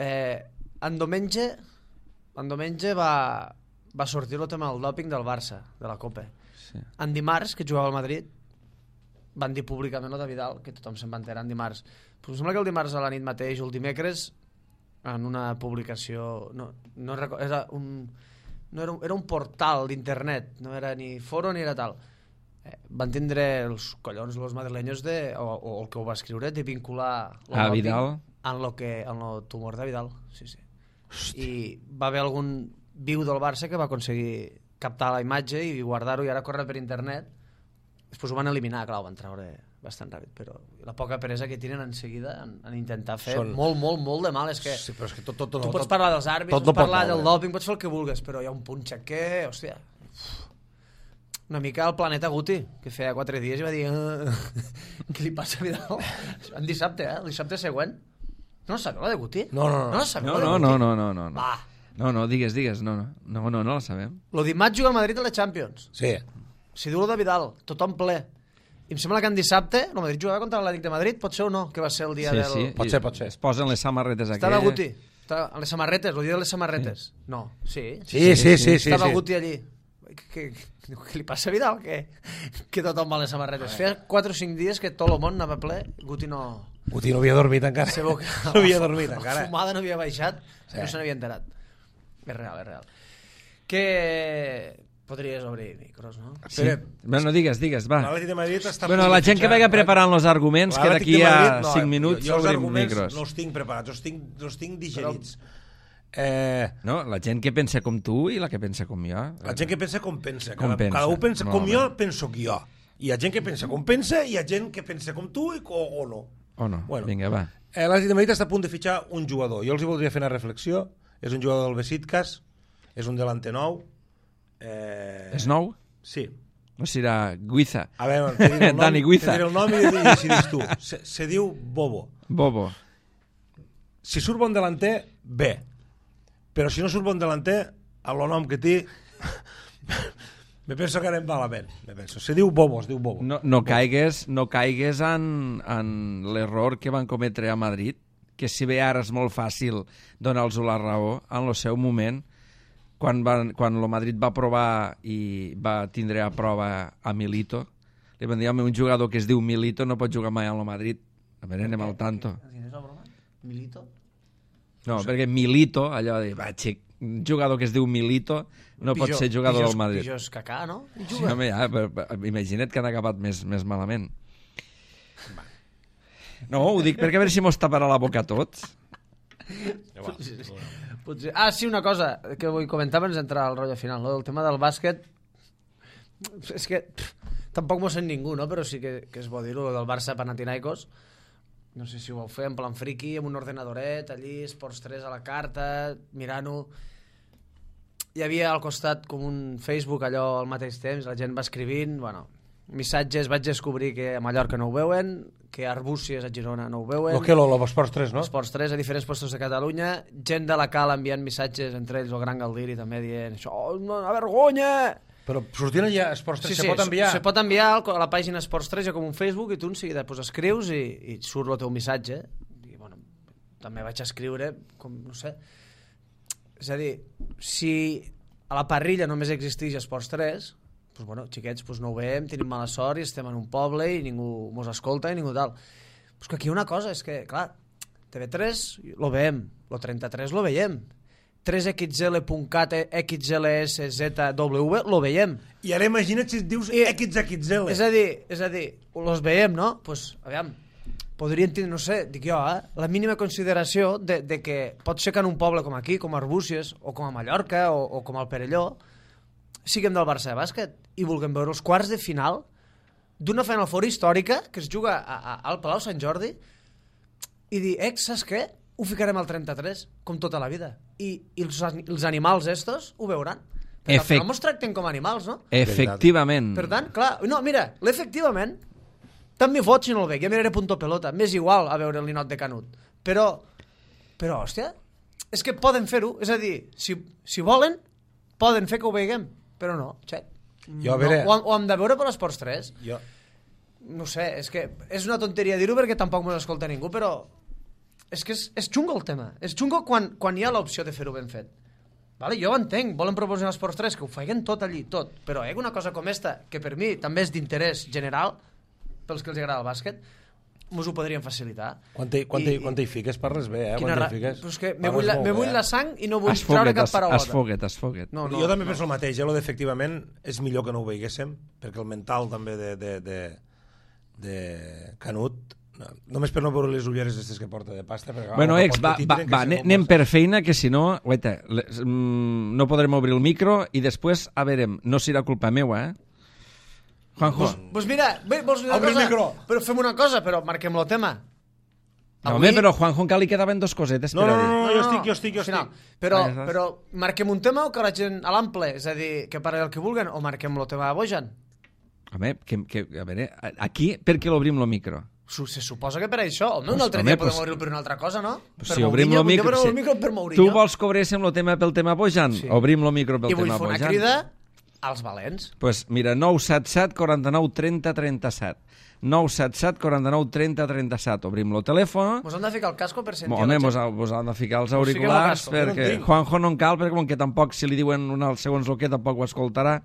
Eh, en diumenge, en diumenge va, va sortir el tema del dòping del Barça, de la Copa. Sí. En dimarts, que jugava al Madrid, van dir públicament el de Vidal, que tothom se'n va enterar en dimarts. Però em sembla que el dimarts a la nit mateix o el dimecres, en una publicació... No, no recordo, era un, no era un, era un portal d'internet, no era ni foro ni era tal. Eh, van tindre els collons, els madrilenyos, de, o, o el que ho va escriure, de vincular a Vidal en lo que, en lo tumor de Vidal. Sí, sí. Hosti. I va haver algun viu del Barça que va aconseguir captar la imatge i guardar-ho i ara corre per internet. Després ho van eliminar, clar, ho van treure bastant ràpid, però la poca peresa que tenen en seguida en, en intentar fer Són... molt, molt, molt de mal. És que, sí, però és que tot, tot, tot, tu pots tot, parlar dels àrbits, tot pots parlar molt, del dòping, pots fer el que vulguis, però hi ha un punt xaquer, hòstia... Una mica al Planeta Guti, que feia quatre dies i va dir uh, què li passa a Vidal? En dissabte, eh? El dissabte següent. No sabeu la de Guti? No, no, no. No, no, no, no, no, no, no, no. Va. No, no, digues, digues, no, no, no, no, no la sabem. Lo dimarts juga al Madrid a la Champions. Sí. Si diu lo de Vidal, tothom ple. I em sembla que en dissabte el Madrid jugava contra l'Atlètic de Madrid, pot ser o no, que va ser el dia sí, del... Sí, pot ser, pot ser. Es posen les samarretes Estava aquelles. Guti. Estava en les samarretes, el dia de les samarretes. Sí. No, sí. Sí, sí, sí. sí, sí Estava sí. Guti allí. Què, què, què li passa a Vidal? Que, que tothom va a les samarretes. Feia quatre o cinc dies que tot el món anava ple, Guti no... Guti no havia dormit encara. Sabeu que no havia dormit encara. La fumada no havia baixat, sí. No se n'havia enterat. És real, és real. Que... Podries obrir micros, no? Sí. Bueno, digues, digues, va. L'Atlètic de Madrid està... Bueno, la gent que vega preparant els arguments, que d'aquí a no, cinc minuts jo, jo obrim micros. No els tinc preparats, els tinc, els tinc digerits. Però... Eh... No, la gent que pensa com tu i la que pensa com jo. La gent que pensa com pensa. Com cada, pensa. cada un pensa Molt com bé. jo, penso que jo. Hi ha gent que pensa com pensa i hi ha gent que pensa com tu i, o, o no. O no, bueno, vinga, va. Eh, L'Atlètic de Madrid està a punt de fitxar un jugador. Jo els hi voldria fer una reflexió. És un jugador del Besiktas, és un delante nou. Eh... És nou? Sí. No serà Guiza. A veure, te diré el nom, Dani Guiza. te diré el nom i, i decidis tu. Se, se diu Bobo. Bobo. Si surt bon delanter, bé. Però si no surt bon delanter, a lo nom que té, me penso que anem malament. Me penso. Se diu Bobo, es diu Bobo. No, no caigues, no caigues en, en l'error que van cometre a Madrid, que si bé ara és molt fàcil donar-los la raó, en el seu moment, quan, van, quan el Madrid va provar i va tindre a prova a Milito, li van dir, home, un jugador que es diu Milito no pot jugar mai al Madrid. A veure, anem al tanto. Milito? No, perquè Milito, allò de, va, xic, un jugador que es diu Milito no pot ser jugador del Madrid. Pijos Cacà, no? Sí, home, ja, però, però, imagina't que han acabat més, més malament. No, ho dic perquè a veure si mos taparà la boca a tots. Potser... Ah, sí, una cosa que vull comentar abans d'entrar al rotllo final, no? El tema del bàsquet, és que pff, tampoc m'ho sent ningú, no? Però sí que, que és bo dir-ho, del Barça Panathinaikos. No sé si ho vau fer en plan friki, amb un ordenadoret, allí, Esports tres a la carta, mirant-ho. Hi havia al costat com un Facebook allò al mateix temps, la gent va escrivint, bueno, missatges, vaig descobrir que a Mallorca no ho veuen, que a Arbúcies a Girona no ho veuen. Lo que lo, lo Esports tres, no? Esports tres a diferents postos de Catalunya, gent de la Cal enviant missatges, entre ells el Gran Galdiri també dient això, oh, una vergonya! Però sortint allà Esports tres, Sí, se sí, pot enviar? se pot enviar a la pàgina Esports tres, hi ha com un Facebook, i tu en seguida pues, escrius i, i surt el teu missatge. I, bueno, també vaig escriure, com, no sé... És a dir, si a la parrilla només existeix Esports tres, pues, bueno, xiquets, pues, no ho veiem, tenim mala sort i estem en un poble i ningú mos escolta i ningú tal. Pues que aquí una cosa és que, clar, T V tres lo veiem, lo trenta-tres lo veiem, tres X L punt cat X L S Z W lo veiem. I ara imagina't si et dius I, X X L. És a dir, és a dir, los veiem, no? Pues, aviam, podrien tenir, no sé, dic jo, eh, la mínima consideració de, de que pot ser que en un poble com aquí, com Arbúcies, o com a Mallorca, o, o com al Perelló, siguem del Barça de bàsquet i vulguem veure els quarts de final d'una Final Four històrica que es juga a, a, al Palau Sant Jordi i dir, eh, saps què? Ho ficarem al trenta-tres, com tota la vida. I, i els, els animals estos ho veuran. Perquè Efect... al final mos tracten com animals, no? Efectivament. Per tant, clar, no, mira, l'efectivament tant m'hi fot si no el veig, ja miraré punto pelota, m'és igual a veure el ninot de Canut. Però, però, hòstia, és que poden fer-ho, és a dir, si, si volen, poden fer que ho veiguem, però no, xec. Jo, a veure... No, ho, ho hem de veure per l'Esports tres. Jo... No sé, és que és una tonteria dir-ho perquè tampoc mos escolta ningú, però és que és, és xungo el tema. És xungo quan, quan hi ha l'opció de fer-ho ben fet. Vale? Jo ho entenc, volen proposar l'Esports tres, que ho feien tot allí, tot. Però eh, una cosa com esta, que per mi també és d'interès general, pels que els agrada el bàsquet, mos ho podrien facilitar. Quan te, quan, te, quan te hi fiques parles bé, eh? Quan ra... te hi fiques, però és que me vull, la, me vull bé, la sang i no vull Esfoguet, treure cap paraulota. esfoguet, esfoguet. No, no, jo també no. penso el mateix, eh? Lo d'efectivament és millor que no ho veiguéssim, perquè el mental també de, de, de, de Canut, no, només per no veure les ulleres aquestes que porta de pasta. Perquè, Bueno, ah, ex, va, va, va anem per feina, que si no, guaita, les, mm, no podrem obrir el micro i després, a veure, no serà culpa meua, eh? Juanjo. Pues, pues mira, bé, vols dir una Obre el cosa? micro. Però fem una cosa, però marquem el tema. No, home, però Juanjo encara li quedaven dos cosetes No, per no, a no, dir. no, jo estic, jo estic, jo Final. estic. Però, Ah, ja saps. però marquem un tema o que la gent a l'ample? És a dir, que parli el que vulguen, o marquem el tema de Bojan? Home, que, que, a veure, aquí per què l'obrim el micro? Su- Se suposa que per això. Home, un Pues, altre home, dia podem pues- obrir-lo per una altra cosa, no? Pues Per si obrim Mourinho, el micro... podem obrir Si... el micro per Mourinho. Tu vols que obréssim el tema pel tema Bojan? Sí. Obrim el micro pel I vull tema fer una Bojan. crida als valents. Pues mira, nou set set, quaranta-nou, trenta, trenta-set. nou set set, quaranta-nou, trenta, trenta-set. Obrim el telèfon. Mos hem de ficar el casco per sentir Home, la mos, gent. mos han de ficar els Pues fiquem el auriculars casco, jo no en perquè tinc. Juanjo no en cal, perquè com que tampoc, si li diuen un al segons el que, tampoc ho escoltarà.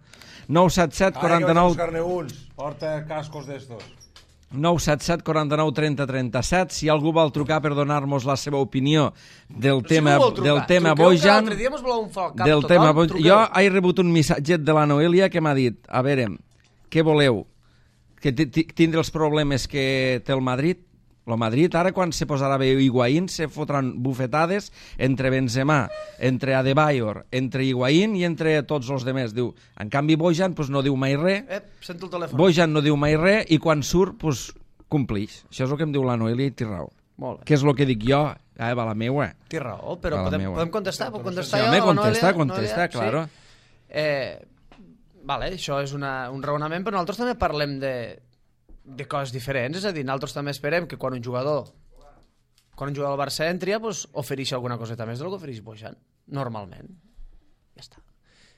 nou set set, quaranta-nou... buscar-ne uns. Porta cascos d'estos. nou set set, quaranta-nou, trenta, trenta-set. Si algú vol trucar per donar-nos la seva opinió del Però tema, si no vol trucar, del tema truqueu, que Bojan... l'altre dia mos voleu un fal cap Del total, tema Bojan... truqueu. Jo he rebut un missatget de la Noelia que m'ha dit, a veure, què voleu? Que ti- ti- tindre els problemes que té el Madrid? El Madrid, ara, quan se posarà bé Higuaín, se fotran bufetades entre Benzema, entre Adebayor, entre Higuaín i entre tots els demés. Diu, en canvi, Bojan pues, no diu mai res, Eh, sento el telèfon. Bojan no diu mai res i quan surt, pues, complix. Això és el que em diu la Noelia i té raó. Molt bé. Què és el que dic jo? Ah, va la meua. Té raó, però A la podem, meua. podem contestar? Puc contestar Sí, jo? home, a la contesta, Noelia? contesta, Noelia? claro. Sí. Eh, vale, això és una, un raonament, però nosaltres també parlem de, de coses diferents. És a dir, nosaltres també esperem que quan un jugador quan un jugador del Barça entri, pues, ofereixi alguna coseta més del que ofereix Bojan, normalment. Ja està.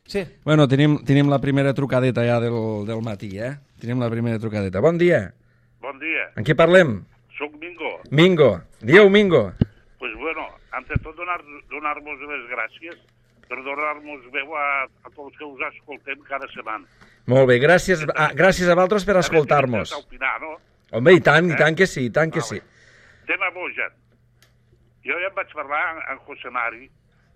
Sí. Bueno, tenim, tenim la primera trucadeta ja del, del matí, eh? Tenim la primera trucadeta. Bon dia. Bon dia, En què parlem? sóc Mingo. Mingo. Dieu, Mingo. Pues bueno, ante tot donar, donar-vos les gràcies per donar-nos veu a, a tots que us escoltem cada setmana. Molt bé, gràcies a, gràcies a vosaltres per escoltar-nos. A opinar, no? Home, i tant, i tant que sí, i tant que sí. Tema Bojan. Jo ja em vaig parlar amb, amb José Mari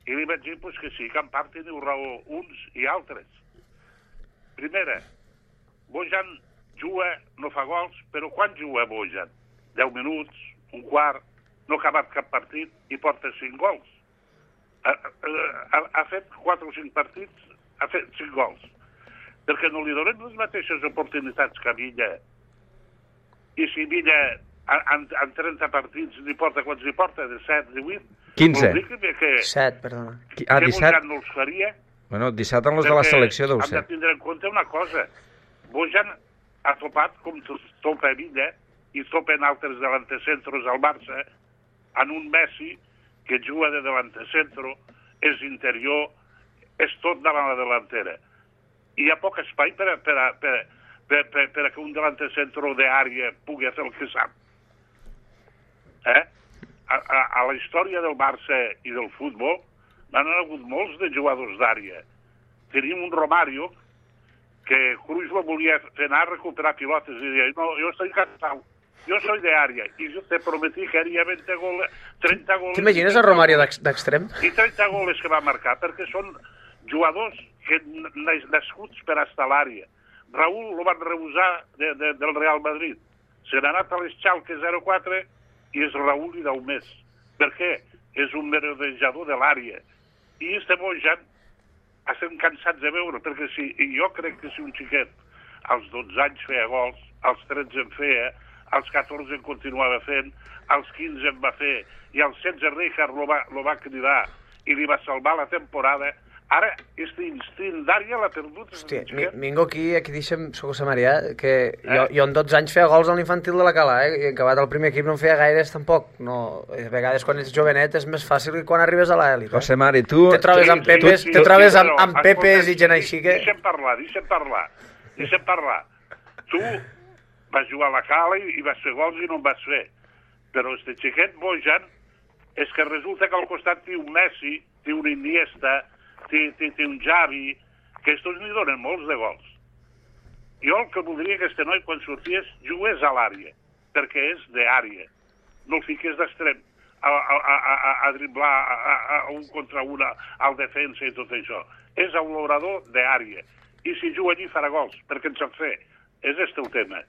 i li vaig dir pues, que sí, que en part teniu raó uns i altres. Primera, Bojan juga, no fa gols, però quan juga Bojan? deu minuts, un quart, no ha acabat cap partit i porta cinc gols. ha, ha, ha fet quatre o cinc partits, ha fet cinc gols. Perquè no li donen les mateixes oportunitats que a Villa. I si Villa en, en trenta partits li porta quants li porta, de set, divuit? quinze. Que, que, set, perdona. Ah, que disset? Bojan no els faria. Bueno, disset en els de la selecció deu ser. Hem ser. de tindre en compte una cosa. Bojan ha topat com topa Villa i topen altres delantecentros al Barça en un Messi que juga de delantecentro, és interior, és tot davant la delantera. I hi ha poc espai per a, per a, per a, per, per, per a que un delantecentro d'àrea pugui fer el que sap. Eh? A, a, a la història del Barça i del futbol n'han hagut molts de jugadors d'àrea. Tenim un Romario que Cruyff lo volia fer anar a recuperar pilotes i deia, no, jo estoy cansado, yo soy de área, y yo te prometí que haría veinte goles, trenta goles... T'imagines el Romario d'extrem? I trenta goles que va marcar, perquè són jugadors que nascuts per estar a l'àrea. Raúl lo van rebusar de, de, del Real Madrid. Se n'ha anat a l'Eschalke zero quatre i és Raúl i deu més. Per què? És un merodejador de l'àrea. I este Bojan estem cansats de veure, perquè si, jo crec que si un xiquet als dotze anys feia gols, als tretze en feia, als catorze en continuava fent, als quinze en va fer, i als setze Rijkaard lo va, lo va cridar i li va salvar la temporada. Ara, este instint d'àrea l'ha perdut. Hòstia, mi, Mingo aquí, aquí deixa'm, soc a Maria, que eh? jo, jo en dotze anys feia gols a l'infantil de la Cala, eh? I en acabat el primer equip no en feia gaires tampoc. No, a vegades quan ets jovenet és més fàcil que quan arribes a l'elit. Eh? José Mari, tu... Te trobes sí, amb Pepes, sí, sí, te trobes sí, amb, amb però, Pepes escolta, i gent així que... Deixa'm parlar, deixa'm parlar, deixa'm parlar. Tu vas jugar a la Cala i, i vas fer gols i no en vas fer. Però este xiquet Bojan és que resulta que al costat té un Messi, té un Iniesta, té, té, té un Xavi, que estos li donen molts de gols. Jo el que voldria que este noi, quan sorties, jugués a l'àrea, perquè és d'àrea. No el fiques d'extrem a, a, a, a, a driblar a, a, a un contra una al defensa i tot això. És un l'obrador d'àrea. I si juga allí farà gols, perquè en sap fer. És este el tema.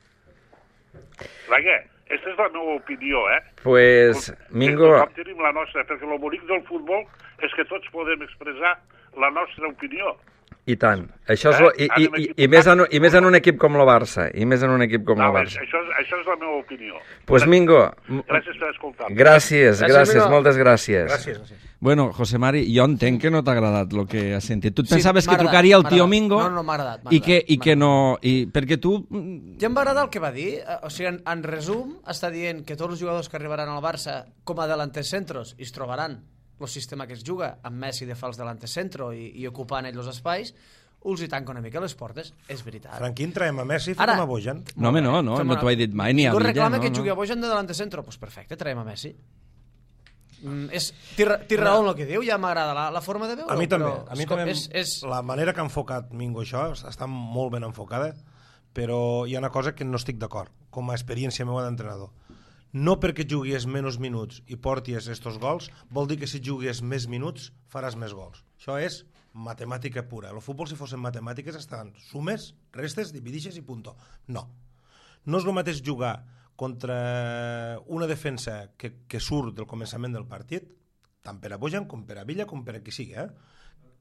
Vaja, aquesta és la meva opinió, eh? Pues, Mingo... Tothom tenim la nostra, perquè el bonic del futbol és que tots podem expressar la nostra opinió. I tant. Això és lo, i, i, i, i, més en, I més en un equip com el Barça. I més en un equip com no, el Barça. Això, això és la meva opinió. Pues Mingo... Gràcies per escoltar. Gràcies, gràcies, gràcies moltes gràcies. Gràcies, gràcies. Bueno, José Mari, jo entenc que no t'ha agradat el que has sentit. Tu et Sí, pensaves que m'ha agradat, trucaria el m'ha tio agradat. Mingo No, no, m'ha agradat, m'ha i que, agradat, i que m'ha no... I, perquè tu... Ja em va agradar el que va dir. O sigui, en, en resum, està dient que tots els jugadors que arribaran al Barça com a delantes centros i es trobaran el sistema que es juga amb Messi de fals delantes centro i, i ocupant ells els espais, els hi tanca una mica les portes. És veritat. Franquín, traiem a Messi i Ara- fotem a Bojan. No, home, no, no, Fem no una- t'ho he dit mai, ni a Ningú Villa, reclama no, que no. jugui a Bojan de delante centro. Doncs pues perfecte, traiem a Messi. Mm, és, té, ra- té raó en el que diu, ja m'agrada la, la forma de veure. A mi també. Però, A mi escolta, també és, és... la manera que ha enfocat Mingo això està molt ben enfocada, però hi ha una cosa que no estic d'acord, com a experiència meva d'entrenador. No perquè juguis menys minuts i portis estos gols, vol dir que si juguis més minuts faràs més gols. Això és matemàtica pura. El futbol, si fossin matemàtiques, estan sumes, restes, dividixes i punto. No. No és el mateix jugar contra una defensa que, que surt del començament del partit, tant per a Bojan com per a Villa com per a qui sigui, eh?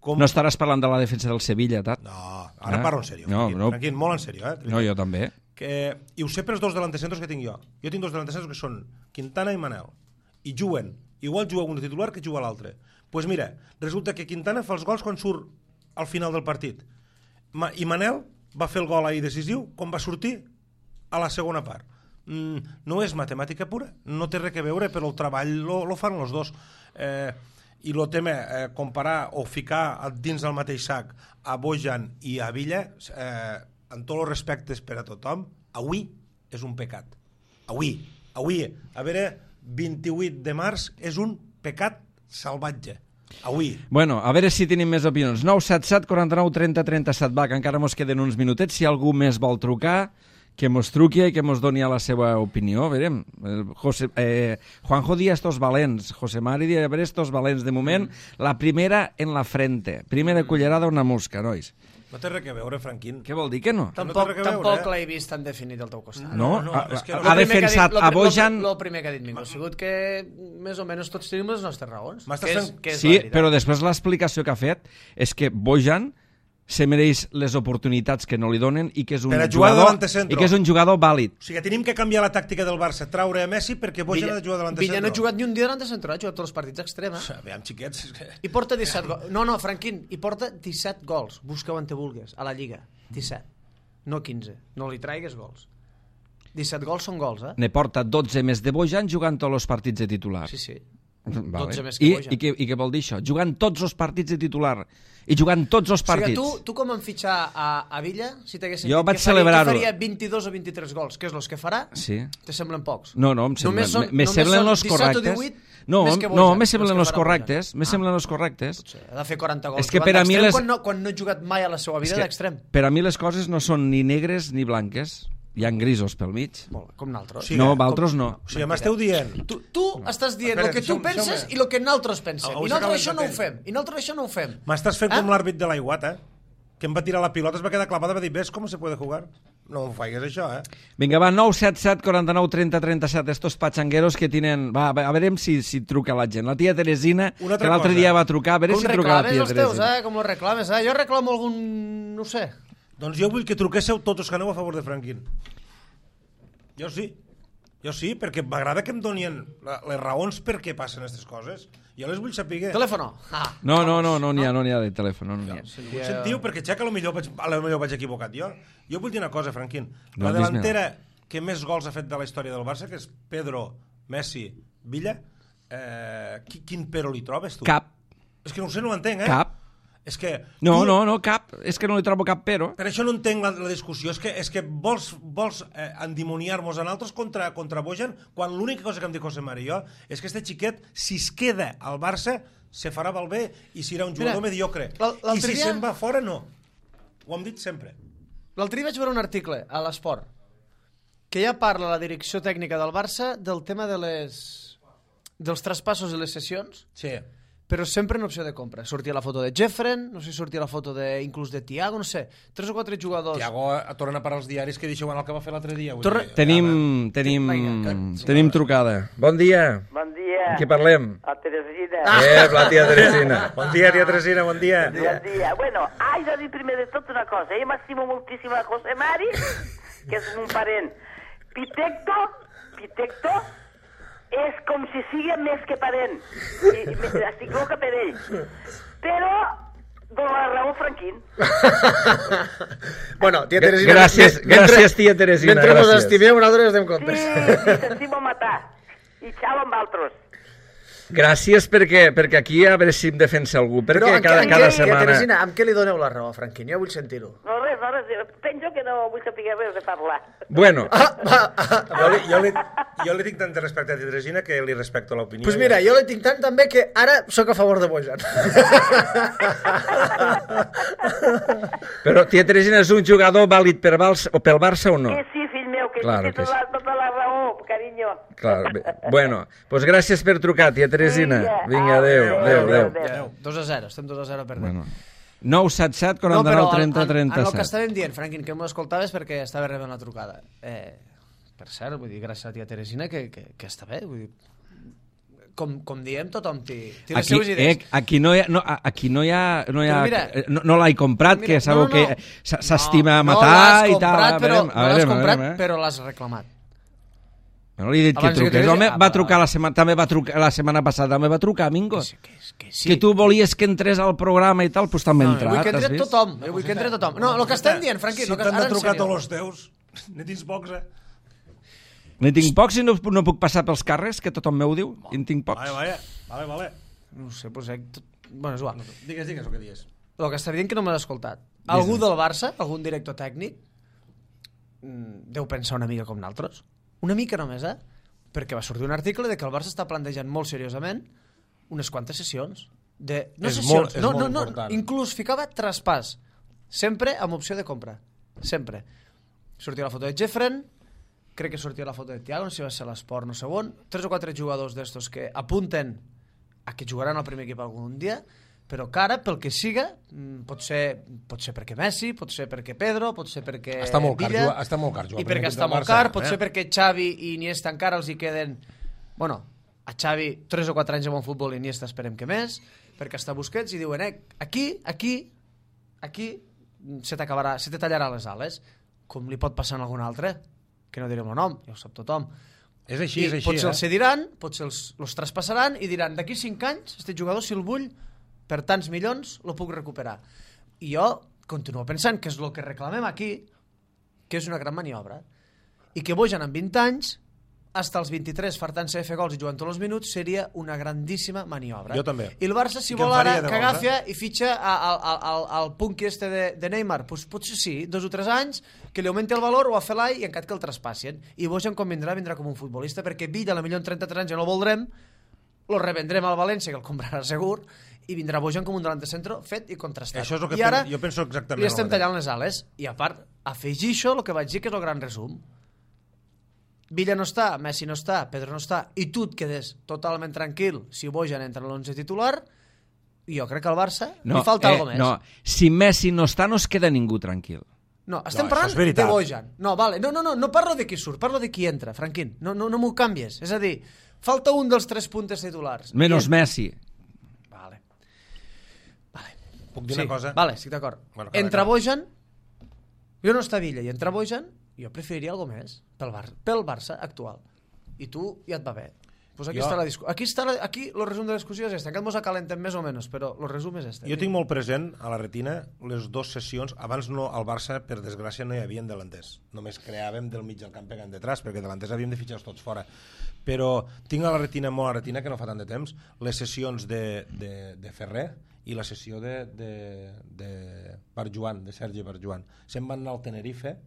Com... No estaràs parlant de la defensa del Sevilla, Tat? No, ara Ah. parlo en sèrio. No, Franquín, no. Franquín, molt en sèrio. Eh? No, jo també. Que, I ho sé pels dos delantecentros que tinc jo. Jo tinc dos delantecentros que són Quintana i Manel. I juguen. Igual juga un de titular que juga l'altre. Doncs pues mira, resulta que Quintana fa els gols quan surt al final del partit. Ma I Manel va fer el gol ahir decisiu quan va sortir a la segona part. Mm, no és matemàtica pura, no té res a veure, però el treball lo, lo fan els dos. Eh, I el tema, eh, comparar o ficar dins del mateix sac a Bojan i a Villa, eh, amb tots els respectes per a tothom, avui és un pecat. Avui, avui, a veure, vint-i-vuit de març és un pecat salvatge. Avui. Bueno, a veure si tenim més opinions. nou set set, quaranta-nou, trenta, trenta-set, va, que encara mos queden uns minutets. Si algú més vol trucar, que mos truqui i que mos doni la seva opinió. Verem. José, eh, Juanjo dia estos valents. José Mari dia, a veure, estos valents. De moment, la primera en la frente. Primera cullerada una mosca, nois. No té res a veure, Franquín. Què vol dir que no? Tampoc, res a veure, tampoc eh? l'he vist tan definit al teu costat. No, no, ha, és que ha, lo ha primer que ha defensat dit- lo a pri- Bojan... Lo, lo primer que ha dit Mingo ha sigut que més o menys tots tenim les nostres raons. M'estàs Que és, fent- que és Sí, la veritat. però després l'explicació que ha fet és que Bojan se mereix les oportunitats que no li donen i que és un Per a jugar jugador davant de centro. i que és un jugador vàlid. O sigui, tenim que canviar la tàctica del Barça, traure a Messi perquè Bojan ha de jugar davant de Villa centro. no ha jugat ni un dia davant de centre, ha jugat tots els partits extrema. Aviam, xiquets, és que... I porta disset gols. No, no, Franquín, i porta disset gols. Busca on te vulgues, a la Lliga. disset. No quinze. No li traigues gols. disset gols són gols, eh? Ne porta dotze més de Bojan jugant tots els partits de titular. Sí, sí. Vale. dotze més que I, Bojan. i, què, I què vol dir això? Jugant tots els partits de titular i jugant tots els O sigui, partits. tu, tu com em fitxar a, a Villa, si t'haguessin Jo dit vaig que faria, celebrar-ho. que faria vint-i-dos o vint-i-tres gols, que és els que farà, Sí. te semblen pocs. No, no, em semblen, Només són- me només semblen són los disset o correctes. divuit No, més que no, Bojan, me els semblen que los farà correctes. Me Bojan. semblen los correctes. Ha de fer quaranta gols. És que jugant per a mi d'extrem les- Quan no, quan no ha jugat mai a la seva vida És que d'extrem. per a mi les coses no són ni negres ni blanques. Hi ha grisos pel mig. Molt bé, com nosaltres. Sí, No, eh? vosaltres no. O sigui, m'esteu dient... Tu, tu estàs dient Espera, el que tu deixa'm- penses deixa'm- i el que nosaltres pensem. Ah, I us nosaltres acabem això no ho de fem. I nosaltres això no ho fem. M'estàs fent Ah? com l'àrbit de l'aiguat, eh? Que em va tirar la pilota, es va quedar clavada, va dir, ves com se puede jugar? No em faigues això, eh? Vinga, va, nou set set, quaranta-nou, trenta, trenta-set, estos pachangueros que tienen... Va, a veure si, si truca la gent. La tia Teresina, Una altra que l'altre cosa. dia va trucar, a veure Com si truca la reclames tia els teus, Teresina. eh? Com els reclames, eh? Jo reclamo algun... no ho sé. Doncs jo vull que truquéssiu tots els que aneu a favor de Franquín. Jo sí. Jo sí, perquè m'agrada que em donien la- les raons per què passen aquestes coses. Jo les vull saber. Telèfono. Ah. No, no, no, no n'hi ha, no n'hi ha de telèfon, no n'hi ha. Ho sentiu? Perquè ja que potser vaig, a lo millor vaig equivocat jo. Jo vull dir una cosa, Franquín. No, La dis-me-la. delantera que més gols ha fet de la història del Barça, que és Pedro, Messi, Villa, eh, qui- quin però li trobes, tu? Cap, És que no ho sé, no ho entenc, eh? cap. És que... No, tu- no, no, cap. És que no li trobo cap però. Per això no entenc la, la discussió. És que, és que vols, vols eh, endimoniar-nos a nosaltres contra, contra Bojan, quan l'única cosa que em diu José Mari i jo és que este xiquet, si es queda al Barça, se farà malbé i serà un jugador Mira, mediocre. l'al- I l'altre si dia- se'n va fora, no. Ho hem dit sempre. L'altre dia vaig veure un article a l'Esport que ja parla la direcció tècnica del Barça del tema de les dels traspassos i les sessions, Sí. però sempre en opció de compra. Sortia la foto de Jeffren, no sé si sortia la foto de, inclús de Thiago, no sé, tres o quatre jugadors. Tiago torna a parar als diaris que deixeu el que va fer l'altre dia. vull Torna- dir, Tenim, tenim, Vinga, tenim trucada. Bon dia. Bon dia. Amb qui parlem? A Teresina. Eh, la tia Teresina. Bon dia, tia Teresina, bon dia. Bon dia. Bueno, haig de dir primer de tot una cosa. Jo m'estimo moltíssim a José Mari, que és un parent. Pitecto, Pitecto, és com si sigui més que parent. I, i estic loca per ell. Però dona la raó Franquín. Bueno, tia Gra- Teresina... gràcies, mentre- gràcies, tia Teresina, Mentre mos gràcies. estimeu, nosaltres estem Sí, comptes. sí, s'estimo matar. I xau amb altres. Gràcies perquè, perquè aquí a veure si em defensa algú, perquè Però en cada, què- cada en què- tia setmana... Teresina, amb què li doneu la raó a Franquín? Jo vull sentir-ho. No, res, no, res. Penso que no vull saber res de parlar. Bueno, Jo li, jo, li, jo li tinc tant de respecte a tia Teresina que li respecto l'opinió. Doncs pues mira, jo li tinc tant també que ara sóc a favor de Bojan. però tia Teresina és un jugador vàlid per Barça, o pel Barça o no? Que sí, fill meu, que Claro sí, que té tota, tota la raó, carinyo. Clar, bé. Bueno, doncs gràcies per trucar, tia Teresina. Vinga, Vinga, adéu, adéu, adéu, adéu, adéu. adéu. dos a zero, estem dos a zero perdent. Bueno. nou set set, No, però quaranta-nou, trenta, en, en, en el que trenta-set. estàvem dient, Franquín, que m'ho escoltaves perquè estava rebent la trucada. Eh, per cert, vull dir, gràcies a la tia Teresina, que, que, que està bé, vull dir, com, com diem, tothom té, té les Aquí, seves idees. eh, aquí no hi ha, no, aquí no hi ha, no, hi ha, Però mira, eh, no, no l'he comprat, Mira, que sabeu no, no, no. que s- s'estima no, matar no l'has i tal. comprat, A però, veure, a no l'has veure, a comprat, veure, eh? però l'has reclamat. No li he dit que Abans que truqués. t'ho Home, digués- va ah, trucar va. la setmana, també va trucar la setmana passada, també va trucar, Mingo. Que sí, que, és- que sí. Que tu volies que entrés al programa i tal, doncs també ha No, vull entrat, que has entre vist? tothom, jo vull que entre tothom. No, el que estem dient, Franquín, Si el que, t'han ara de en trucar sèrio. tots els teus, ne tens pocs, eh? N'hi tinc pocs i no, no puc passar pels carrers, que tothom m'ho diu. I en tinc pocs. Vale, vale, vale, vale. No ho sé, doncs... Eh, tot... Bueno, és igual. Digues, digues el que dius. El que estava dient que no m'has escoltat. Algú del Barça, algun director tècnic, mm, deu pensar una mica com nosaltres. Una mica només, eh? Perquè va sortir un article de que el Barça està plantejant molt seriosament unes quantes sessions. De... No És sessions, molt- és no, molt no, no, important. inclús ficava traspàs. Sempre amb opció de compra. Sempre. Sortia la foto de Jeffren, crec que sortia la foto de Thiago, no sé si va ser l'Esport, no sé on, tres o quatre jugadors d'estos que apunten a que jugaran al primer equip algun dia, però que ara, pel que siga, pot ser, pot ser perquè Messi, pot ser perquè Pedro, pot ser perquè està molt car, Villa, juga, està molt car, i perquè està molt car, pot ser perquè Xavi i Iniesta encara els hi queden... Bueno, a Xavi tres o quatre anys de bon futbol i Iniesta esperem que més, perquè està Busquets i diuen, eh, aquí, aquí, aquí se t'acabarà, se te tallarà les ales, com li pot passar a algun altre, que no direm el nom, ja ho sap tothom. És així, I és així. potser eh? els cediran, potser els, els traspassaran i diran, d'aquí cinc anys, este jugador, si el vull, per tants milions, el puc recuperar. I jo continuo pensant que és el que reclamem aquí, que és una gran maniobra, i que Bojan amb vint anys, hasta els vint-i-tres fartant-se de fer gols i jugant tots els minuts, seria una grandíssima maniobra. Jo també. I el Barça, si I vol ara, gols, que eh? agafia i fitxa al punqui este de, de Neymar, pues, potser sí, dos o tres anys, que li augmenti el valor o a Felai i encat que el traspassin. I Bojan, com vindrà, vindrà com un futbolista, perquè Villa, a la millor en trenta-tres anys ja no el voldrem, lo revendrem al València, que el comprarà segur, i vindrà Bojan com un delanter centro fet i contrastat. Això és el que I ara pen... jo penso exactament. li estem tallant les ales. I a part, afegir això, el que vaig dir, que és el gran resum. Villa no està, Messi no està, Pedro no està, i tu et quedes totalment tranquil si Bojan entra en l'onze titular, i jo crec que al Barça no, li falta eh, alguna més. No, si Messi no està, no es queda ningú tranquil. No, estem No, parlant això és veritat. de Bojan. No, vale. no, no, no, no parlo de qui surt, parlo de qui entra, Franquín. No, no, no m'ho canvies. És a dir, falta un dels tres puntes titulars. Menos I... Messi. Vale. Vale. Puc dir Sí, una cosa? vale, estic d'acord. Bueno, cada Entra cap. Bojan, jo no està Villa, i entra Bojan, jo preferiria alguna més pel, Bar pel Barça actual. I tu ja et va bé. Pues aquí Jo- està la discussió. Aquí està la... aquí el resum de la discussió és este. Encara mos acalentem més o menys, però el resum és este. Jo tinc molt present a la retina les dues sessions. Abans no, al Barça, per desgràcia, no hi havia delanters. Només creàvem del mig del camp pegant detrás, perquè delanters havíem de fitxar tots fora. Però tinc a la retina, molt a la retina, que no fa tant de temps, les sessions de, de, de Ferrer i la sessió de, de, de Barjuan, de Sergi Barjuan. Se'n van anar al Tenerife,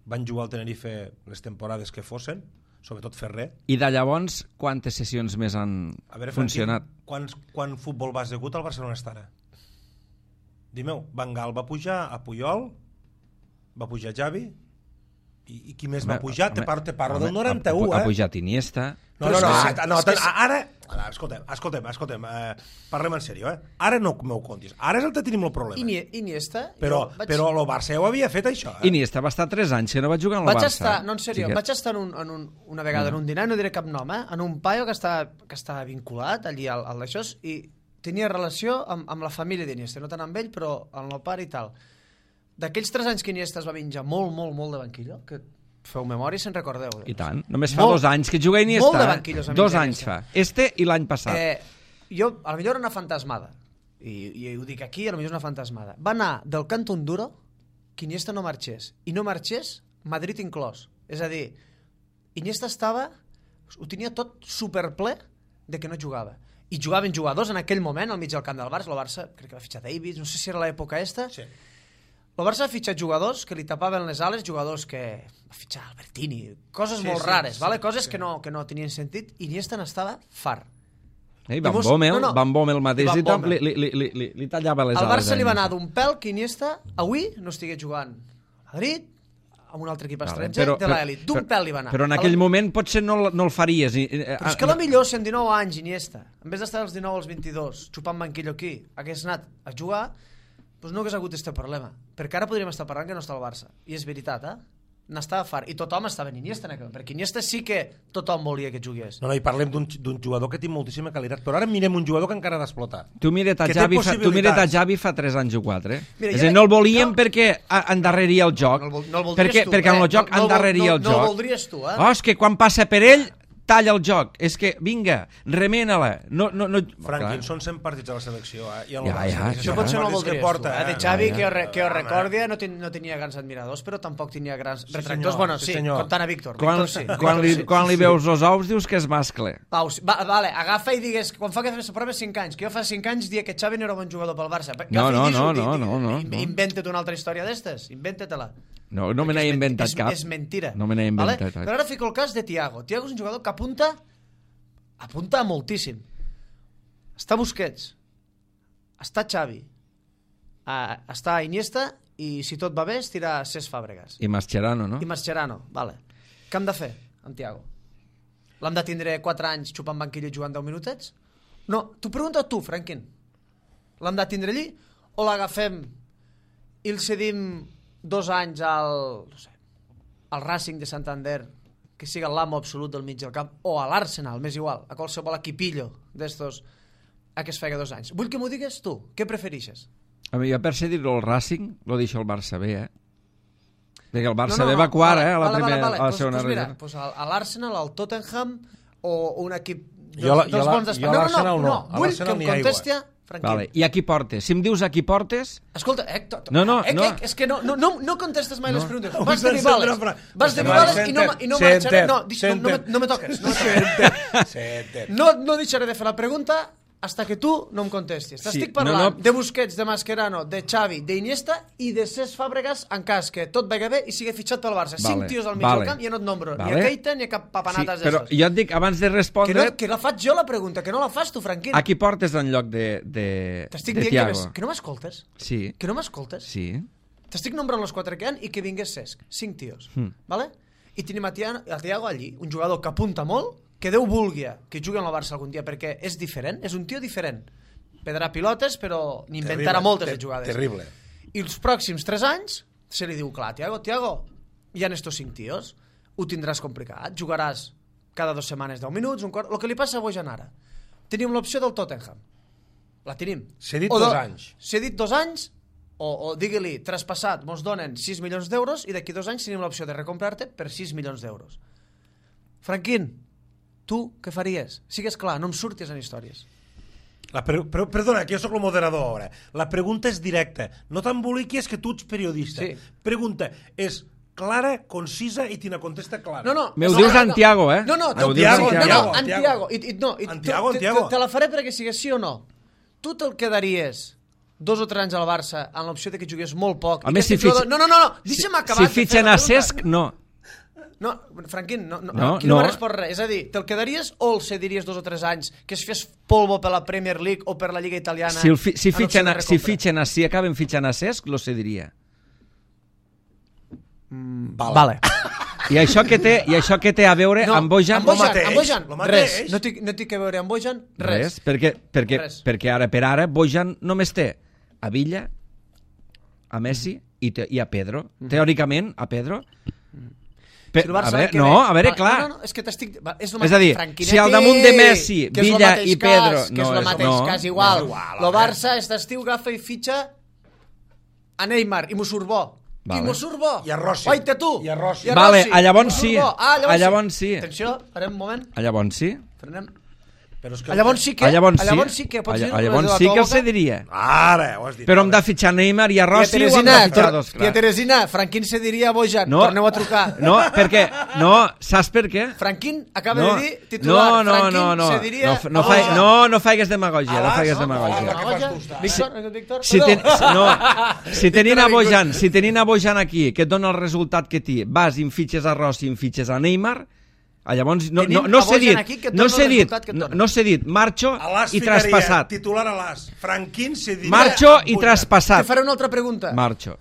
van jugar al Tenerife les temporades que fossin, sobretot Ferrer. I de llavors, quantes sessions més han A veure, funcionat? Franquín, quants, quan futbol base ha hagut al Barcelona està ara? Dime-ho, Van Gaal va pujar a Puyol, va pujar Xavi, i, i qui més va pujar? Te parlo, te parlo del noranta-u, ha, eh? ha pujat Iniesta. No, no, no, Però és no, que- no, és que- ara, ara, escoltem, escoltem, escoltem, eh, parlem en sèrio, eh? Ara no m'ho contis, ara és el que tenim el problema. Ini Iniesta... Però, jo vaig... però el Barça ja ho havia fet, això, eh? Iniesta va estar tres anys que no va jugar en el Vaig Barça. estar, no, en sèrio, Xiquet. vaig estar en un, en un, una vegada en un dinar, no diré cap nom, eh? En un paio que estava, que estava vinculat allí al, al d'això i tenia relació amb, amb la família d'Iniesta, no tant amb ell, però amb el pare i tal. D'aquells tres anys que Iniesta es va menjar molt, molt, molt de banquillo, que feu memòria si en recordeu. I tant. Només fa Molt- dos anys que juga Iniesta. molt de eh? banquillos a Dos menjar anys Iniesta. fa. Este i l'any passat. Eh, jo, a lo millor era una fantasmada, i, i ho dic aquí, a lo millor és una fantasmada. Va anar del Canton Duro que Iniesta no marxés, i no marxés Madrid inclòs. És a dir, Iniesta estava, ho tenia tot superple de que no jugava. I jugaven jugadors en aquell moment al mig del camp del Barça. El Barça, crec que va fitxar Davids, no sé si era l'època esta. Sí. El Barça ha fitxat jugadors que li tapaven les ales, jugadors que va fitxar Albertini, coses Sí, molt sí, rares, sí, vale? sí. Coses que no, que no tenien sentit, i Iniesta n'estava far. Eh, I Van mos- Bommel, no, no. Van Bommel mateix Van i tot, Bommel. li, li, li, li, li tallava les Al ales. Barça a li va anar Iniesta. d'un pèl que Iniesta avui no estigués jugant a Madrid, amb un altre equip Vale, estranger, però- de però- l'elit. D'un però- pèl li va anar. Però en A aquell la- moment potser no, no el faries. I- eh, Però és que ah, a lo millor si amb dinou anys Iniesta, en vez d'estar als dinou als vint-i-dos xupant banquillo aquí, hagués anat a jugar, doncs no hagués hagut aquest problema. Perquè ara podríem estar parlant que no està al Barça. I és veritat, eh? N'estava fart. I tothom estava en Iniesta, en aquell moment, perquè Iniesta sí que tothom volia que jugués. No, no, i parlem d'un d'un jugador que té moltíssima qualitat, però ara mirem un jugador que encara ha d'explotar. Tu mira't a que té Javi, fa, tu mira't a possibilitats. Javi fa tres anys o quatre. Mira, és jo a dir, no el crec- volíem jo- perquè a- endarreria el joc. No el vol- no el voldries perquè, tu, perquè en eh? el joc No- no el vol- endarreria no- el no el joc. voldries tu, eh? Oh, és que quan passa per ell, talla el joc. És que, vinga, remena-la. No, no, no... Franquín, Clar. són cent partits a la selecció, eh? I el Ja, Barça, ja, que això Això són potser no ho partits que voldries porta, tu, eh? De eh? Xavi, ja. que, jo, re, que jo Home. recordi, no, ten, no tenia grans admiradors, però tampoc tenia grans Sí, retractors. senyor, Bueno, sí, sí, senyor. comptant a Víctor. Quan, Víctor sí. quan, li, Víctor sí. quan li veus els ous dius que és mascle. Pau, sí. va, vale, agafa i digues, quan fa que fes la prova cinc anys, que jo fa cinc anys dia que Xavi no era bon jugador pel Barça. Agafa No, i no, dis-ho, no, di- no, di- no, no, in- no. Inventa't una altra història d'estes, inventa-te-la. No, no me n'he És men- inventat és, cap. És mentira. No me n'he inventat Però cap. ara fico el cas de Thiago. Thiago és un jugador que apunta apunta moltíssim. Està Busquets, està Xavi, uh, està Iniesta i si tot va bé estirà Cesc Fàbregas. I Mascherano, no? I Mascherano, vale. Què hem de fer amb Thiago? L'hem de tindre quatre anys xupant banquillo i jugant deu minutets? No, t'ho pregunto a tu, Franquín. l'hem de tindre allí, o l'agafem i el cedim dos anys al, no sé, al Racing de Santander, que siga l'amo absolut del mig del camp, o a l'Arsenal, m'és igual, a qualsevol equipillo d'estos, a que es fega dos anys. Vull que m'ho digues tu, què preferixes? A mi, jo per cedir-lo al Racing, lo deixo al Barça B, eh? Perquè el Barça No, no, B no, va quart, vale, eh? A la, vale, primera, vale, vale. a la Pues, segona pues mira, regió. pues a, a l'Arsenal, al Tottenham, o un equip dels, Jo la- dels jo la- bons d'Espanya. jo a No, no, l'Arsenal no, no. no, A vull l'Arsenal que em ni aigua. contesti, Franquín. Vale. I a qui portes? Si em dius a qui portes... Escolta, eh, to, to, No, no, eh, no. eh, és que no, no, no, no contestes mai No. les preguntes. Avui Vas de se'n Vivales, sent una fra- vas de Vale, Vivales i no, senten, i no senten, marxaré... No, dis, no, no, me, senten. no me toques. No, me toques. Senten. no, no deixaré de fer la pregunta hasta que tu no em contestis. T'estic Sí, parlant no, no. de Busquets, de Mascherano, de Xavi, d'Iniesta i de Cesc Fàbregas en cas que tot vagi bé i sigui fitxat pel Barça. Vale, Cinc tios al mig vale. del camp i ja no et nombro Vale. ni a Keita ni a cap Sí, papanates però d'estos. jo et dic, abans de Que, respondre, no, que la faig jo la pregunta, que no la fas tu, Franquín. a qui portes en lloc de, de, T'estic de dient que, Thiago? ves, que no m'escoltes. Sí, Que no m'escoltes. sí. T'estic nombrant els quatre que hi ha i que vingués Cesc. Cinc tios. Mm. Vale? I tenim a Thiago, a Thiago allí, un jugador que apunta molt, que Déu vulgui que jugui en el Barça algun dia, perquè és diferent, és un tio diferent. Pedrà pilotes, però n'inventarà moltes de jugades. Terrible. I els pròxims tres anys se li diu, clar, Thiago, Thiago, hi ha estos cinc tios, ho tindràs complicat, jugaràs cada dues setmanes deu minuts, un quart... El que li passa a Bojan ara. Tenim l'opció del Tottenham. La tenim. Cedit O dos do- anys. Cedit dos anys, o, o digue-li, traspassat, mos donen sis milions d'euros i d'aquí dos anys tenim l'opció de recomprar-te per sis milions d'euros. Franquín, tu què faries? Sigues clar, no em surtis en històries. La pre però, perdona, que jo sóc el moderador ara. La pregunta és directa. No t'emboliquis que tu ets periodista. Sí. Pregunta és clara, concisa i te la contesta clara. No, no. Me ho no, dius no, en Thiago, eh? No, no, Me ho te- dius en no, Thiago. no, en Thiago. Thiago. I, i, no, i, En tu- Thiago, en te- Thiago. Te, te la faré perquè sigues sí o no. Tu te'l quedaries dos o tres anys al Barça amb l'opció de que jugués molt poc. A i més, que si este jugador- fitx- No, no, no, no. deixa'm acabar. Si de fer fitxen la a pregunta. Cesc, no. No, Franquín, no, no, No, aquí no, no. m'ha respost res. És a dir, te'l quedaries o el cediries dos o tres anys, que es fes polvo per la Premier League o per la Lliga Italiana? Si, el fi, si, en opció fitxen de a, si recompra? fitxen a, si acaben fitxant a Cesc, lo cediria. Vale. Vale. I això que té, i això que té a veure amb Bojan? amb Bojan, mateix, amb Bojan, lo mateix. res. No té, no té que veure amb Bojan, res. Res, perquè, perquè, Res. perquè ara per ara Bojan només té a Villa, a Messi i, te, i a Pedro. Teòricament, a Pedro. Pe, Si el Barça a veure, l'any que no, ve- a veure, Va, clar. No, no, no, és que t'estic... va, És, el És a dir, Franquinetti, si al damunt de Messi, que és lo Villa mateix i Pedro- Cas, que no, és el és- mateix no, cas, igual. és igual, Lo home. Barça, aquest estiu, agafa i fitxa a Neymar i m'ho surt bo. Vale. I m'ho surt bo. I a Rossi. Oita tu. I a Rossi. Vale, a i llavors m'ho surt sí. bo. Ah, A llavors sí. Atenció, farem un moment. A llavors sí. Frenem. Però és que... A llavors sí que... A llavors a llavors sí. sí que pots A dir... lla- a llavors sí que el cediria. Ara, ho has dit. Però hem de fitxar Neymar i a Tia Rossi o hem Teresina, de fitxar dos. tia Teresina, Franquín se diria a Bojan. No. Torneu a trucar. No, perquè... No, saps per què? Franquín acaba No, de dir titular. no, no, Franquín no, no, se diria... no, no, fa, no, no faigues demagògia, no Alas, faigues no, demagògia. no, què fas tu, està? Víctor, Víctor, Si, ten, perdó. no, si tenint a Bojan, si tenint a Bojan aquí, que et dona el resultat que té, vas i em fitxes a Rossi i em fitxes a Neymar, a llavors no, Tenim no, no a s'he Bojan dit, aquí que et no dona s'he el dit, resultat que et no, dona. no s'he dit, marxo A l'As i ficaria, traspassat. titular a l'As. Franquín se diria... Marxo i Te Bojan. traspassat. faré una altra pregunta. Marxo.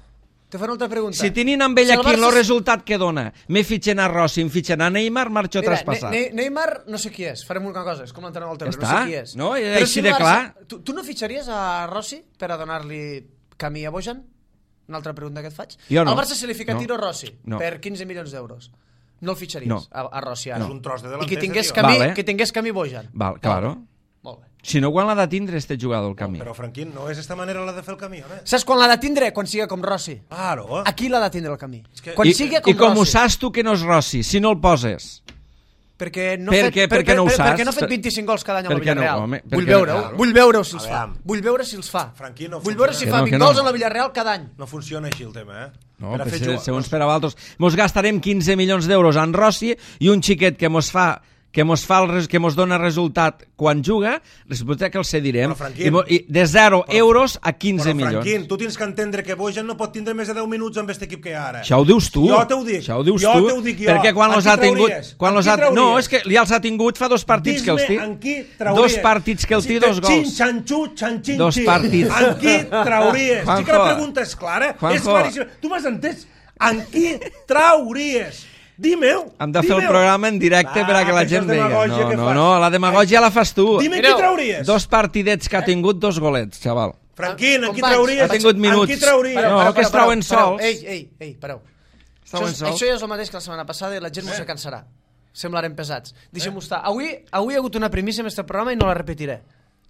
Te faré una altra pregunta. Si tenint amb ell Si el aquí el Barça- resultat que dona, me fitxen a Rossi, em fitxen a Neymar, marxo Mira, traspassat. Ne Ne Neymar no sé qui és, farem una cosa, és com l'entrenador del Tebre, Ja no sé està, qui és. no? És Però així el de Barça- clar. Tu, tu no fitxaries a Rossi per a donar-li camí a Bojan? Una altra pregunta que et faig. Jo no. Al Barça se li fica No. Tiro Rossi No. per quinze milions d'euros. No el fitxaries No. a, a Rossi ara. És un tros de I delanter, que tingués tio. camí, Vale. que tingués camí Bojan. Val, claro. Molt bé. Si no, quan l'ha de tindre este jugador al camí? Però, Franquín, no és esta manera la de fer el camí, home? Saps quan l'ha de tindre? Quan siga com Rossi. Claro. Aquí l'ha de tindre el camí. que- Quan I, siga com I com ho Rossi. saps tu que no és Rossi, si no el poses? Perquè no, Per fet, què- per, per què no ho per, saps? perquè no ha fet Per- vint-i-cinc gols cada any a la per què no, Villarreal. home? Per Vull què no? veure-ho, Claro. vull veure si els fa. Aviam. Vull veure si els fa. Franquí, no Vull veure si funciona. fa Que no, que vint no. gols a la Villarreal cada any. No funciona així el tema, eh? No, Per a per fer se, jugar- segons per a altres. Mos gastarem quinze milions d'euros en Rossi i un xiquet que mos fa que mos, fa el, res- que mos dona resultat quan juga, resulta que el cedirem. Però, Franquín, I, mo- i de zero però- euros a quinze Però, milions. Franquín, tu tens que entendre que Bojan no pot tindre més de deu minuts amb aquest equip que hi ha ara. Això ho dius tu. Jo t'ho dic. Això ho dius jo tu. t'ho dic jo. Perquè quan En los qui ha tingut... trauries? Quan En los qui ha... No, trauries? és que ja els ha tingut fa dos partits que els Dis-me té. en qui trauries. Dos partits que el té, dos gols. Xin, xanxu, xanxin, Dos xin. partits. En qui trauries? Juanjo. Sí que la pregunta és clara. Juanjo. És claríssima. Tu m'has entès? En qui trauries? Dime-ho. Hem de fer el dime-ho. programa en directe Va, per a que la que això gent és vegi. demagògia No, que no, fas. no, la demagògia la fas tu. Dime Mireu, qui trauries. Dos partidets que ha tingut, dos golets, xaval. Franquín, en qui Companys, trauries? ha tingut minuts. En qui trauries? Pareu, No, que es trauen sols. Ei, ei, ei, pareu. Això, Estaven és- sols. això ja és el mateix que la setmana passada i la gent eh? se cansarà. Semblarem pesats. Deixem-ho estar. Avui, avui hi ha hagut una primícia en este programa i no la repetiré.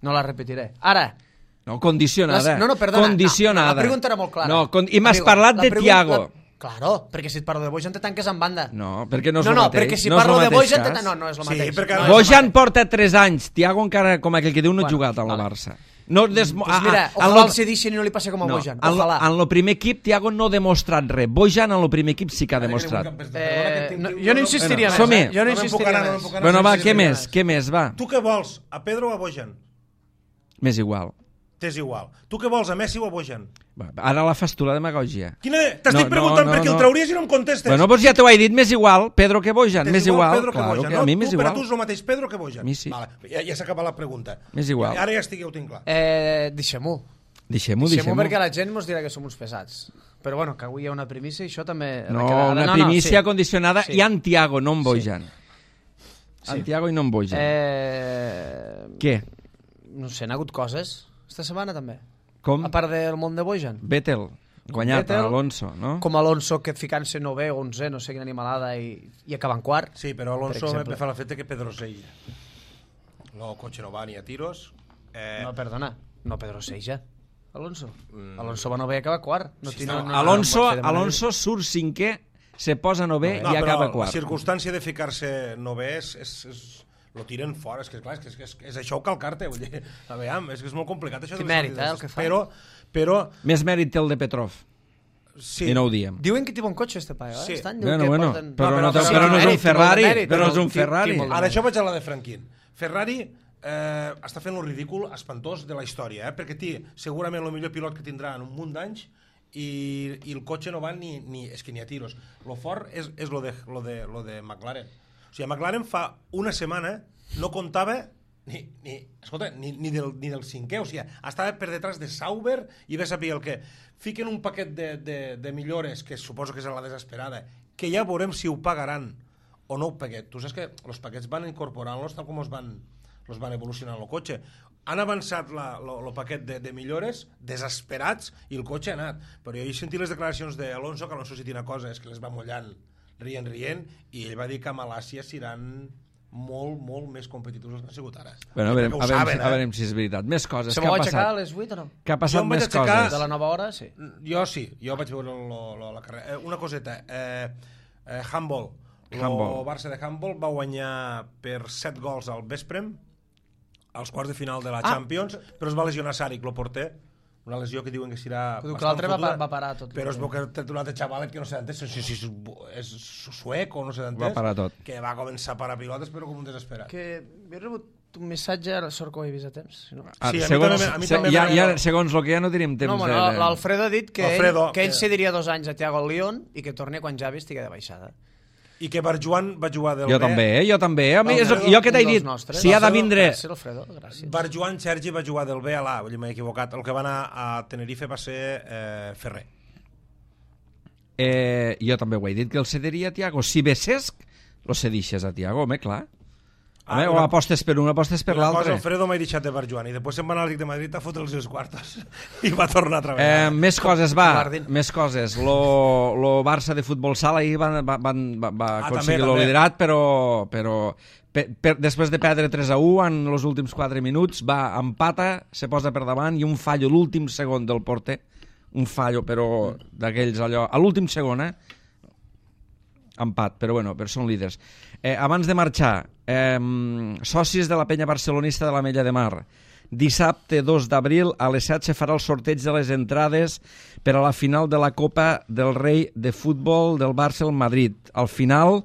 No la repetiré. Ara, No, condicionada. Les- no, no, perdona. Condicionada. No, la pregunta era molt clara. No, con... I m'has Amigo, parlat la de pregunta- Thiago. la- Claro, perquè si et parlo de Bojan te tanques en banda. No, perquè no és no, el no, mateix. perquè si no és parlo el de mateix Bojan te cas. tan... No, no és el Sí, mateix. perquè- no és el Bojan mateix. porta tres anys. Thiago encara, com aquell que diu, no ha Bueno, jugat al vale. Barça. No, des... Pues mira, a- a- ojalà en el cedixen i no li passi com a no, Bojan. en, lo- Ojalà. en el primer equip Thiago no ha demostrat res. Bojan en el primer equip sí que ha demostrat. Eh, no, jo no insistiria Bueno, més. som-hi. Eh? Jo no No me'n puc insistiria anar, no més. me'n puc anar. Bueno, va, sí, què sí, més? sí. Què més, va? Tu què vols, a Pedro o a Bojan? M'és igual. T'és igual. Tu què vols, a Messi o a Bojan? Va, ara la fas tu, la demagogia. Quina... T'estic No, preguntant no, per no, qui el no. trauries i no em contestes. Bueno, doncs ja t'ho he dit, m'és igual. Pedro que Bojan, T'és m'és igual. Pedro que Claro Bojan, que no? a mi m'és Tu, per a igual. tu és el mateix Pedro que Bojan? A mi sí. Vale, ja, ja s'ha acabat la pregunta. M'és igual. Ara ja estic, ja ho tinc clar. Eh, deixem-ho. Deixem-ho, Deixem-ho deixem-ho. perquè la gent ens dirà que som uns pesats. Però bueno, que avui hi ha una primícia i això també... No, ha de quedar. una no, primícia sí. condicionada Sí. i en Thiago, no en Bojan. Sí. En Thiago i no en Bojan. Eh... Què? No sé, n'ha hagut coses. Esta setmana també. Com? A part del món de Bojan. Vettel, guanyat Vettel, a Alonso, no? Com Alonso, que ficant-se novè o onzè, no sé quina animalada, i, i acabant quart. Sí, però Per Alonso exemple. me fa l'efecte que Pedro Sella. No, cotxe no va ni a tiros. Eh, No, perdona, no Pedro Seija. Alonso. Mm. Alonso va novè i acaba quart. No, Sí, sí, no, no, no, Alonso, no pot fer de manera- Alonso surt cinquè, se posa novè no, i acaba però la quart. circumstància de ficar-se novè és, és, és, lo tiren fora, és que clar, és, que és, és, és això calcar-te, vull dir, a veure, és que és molt complicat això. Quin de les mèrit, sortides. eh, el que fa. Però, però, Més mèrit té el de Petrov, sí. i no ho diem. Diuen que té bon cotxe, este paio, eh? Sí. Estan, diuen Bueno, que bueno, porten... però, No, no, però- però, però no és mèrit, un Ferrari, té molt de mèrit, però no és té- un té- té Ferrari. molt de Ara això vaig a la de Franquín. Ferrari eh, està fent un ridícul espantós de la història, eh? Perquè té segurament el millor pilot que tindrà en un munt d'anys i, i el cotxe no va ni, ni... És que ni a tiros. Lo fort és, és lo, de, lo, de, lo de McLaren. O sigui, McLaren fa una setmana no comptava ni, ni, escolta, ni, ni, del, ni del cinquè, o sigui, estava per detrás de Sauber i ve a saber el que fiquen un paquet de, de, de millores, que suposo que és la desesperada, que ja veurem si ho pagaran o no ho paquet. Tu saps que els paquets van incorporant-los tal com els van, els van evolucionant el cotxe. Han avançat el paquet de, de millores desesperats i el cotxe ha anat. Però jo he sentit les declaracions d'Alonso, que Alonso si té una cosa és que les va mullant rient, rient, i ell va dir que a Malàcia seran molt, molt més competitius els que han sigut ara. Bueno, a veure, Perquè ho a veure, saben, a veure si és veritat. Més coses, Se què m'ho ha va aixecar a passat? les vuit o no? Què ha Jo passat em vaig més aixecar- coses? De la nova hora, sí. Jo sí, jo vaig veure lo, lo, la carrera. Eh, una coseta, eh, eh, handball. El Handball. Barça de handball va guanyar per set gols al Vesprem, als quarts de final de la Ah. Champions, però es va lesionar Saric, lo porter, una lesió que diuen que serà Però que bastant l'altre va, fotuda, va parar tot. però es veu que té un altre xavalet que no sé d'entès, si, si, si és suec o no sé d'entès, Va parar tot. que va començar a parar pilotes però com un desesperat. Que he rebut un missatge, ara sort que ho he vist a temps. Si no... Ah, Sí, a mi segons, també- a mi se- també ja, m'ha- ja, segons el que ja no tenim temps No, bueno, de... de- l'Alfredo ha dit que, Alfredo, ell, que ell que- cediria dos anys a Thiago al Lyon i que torni quan Javi estigui de baixada. I que Barjuan va jugar del Jo B. també, eh? jo també. A mi, és, Alfredo, jo que t'he un dels dit, nostres. si ha de Alfredo, vindre... Gràcies, Alfredo, gràcies. Barjuan Sergi va jugar del B a l'A, vull dir, m'he equivocat. El que va anar a Tenerife va ser eh, Ferrer. Eh, jo també ho he dit, que el cediria a Thiago. Si ve Cesc, lo cedixes a Thiago, home, clar. Ah, Home, o una- apostes per un, apostes per Una cosa, l'altre. Alfredo m'ha deixat de Barjuan i després se'n va anar al Lic de Madrid a fotre els seus quartos i va tornar a Eh, treballar. més coses, va, Guardin. més coses. Lo, lo Barça de futbol sala ahir va, va, va, va, va Ah, aconseguir també, lo també. liderat, però, però per, per, després de perdre tres a u en els últims quatre minuts, va, empata, se posa per davant i un fallo l'últim segon del porter, un fallo, però d'aquells allò, a l'últim segon, eh? Empat, però bueno, però són líders. Eh, abans de marxar, eh, socis de la penya barcelonista de la Mella de Mar, dissabte dos d'abril a les set se farà el sorteig de les entrades per a la final de la Copa del Rei de futbol del Barça al Madrid. Al final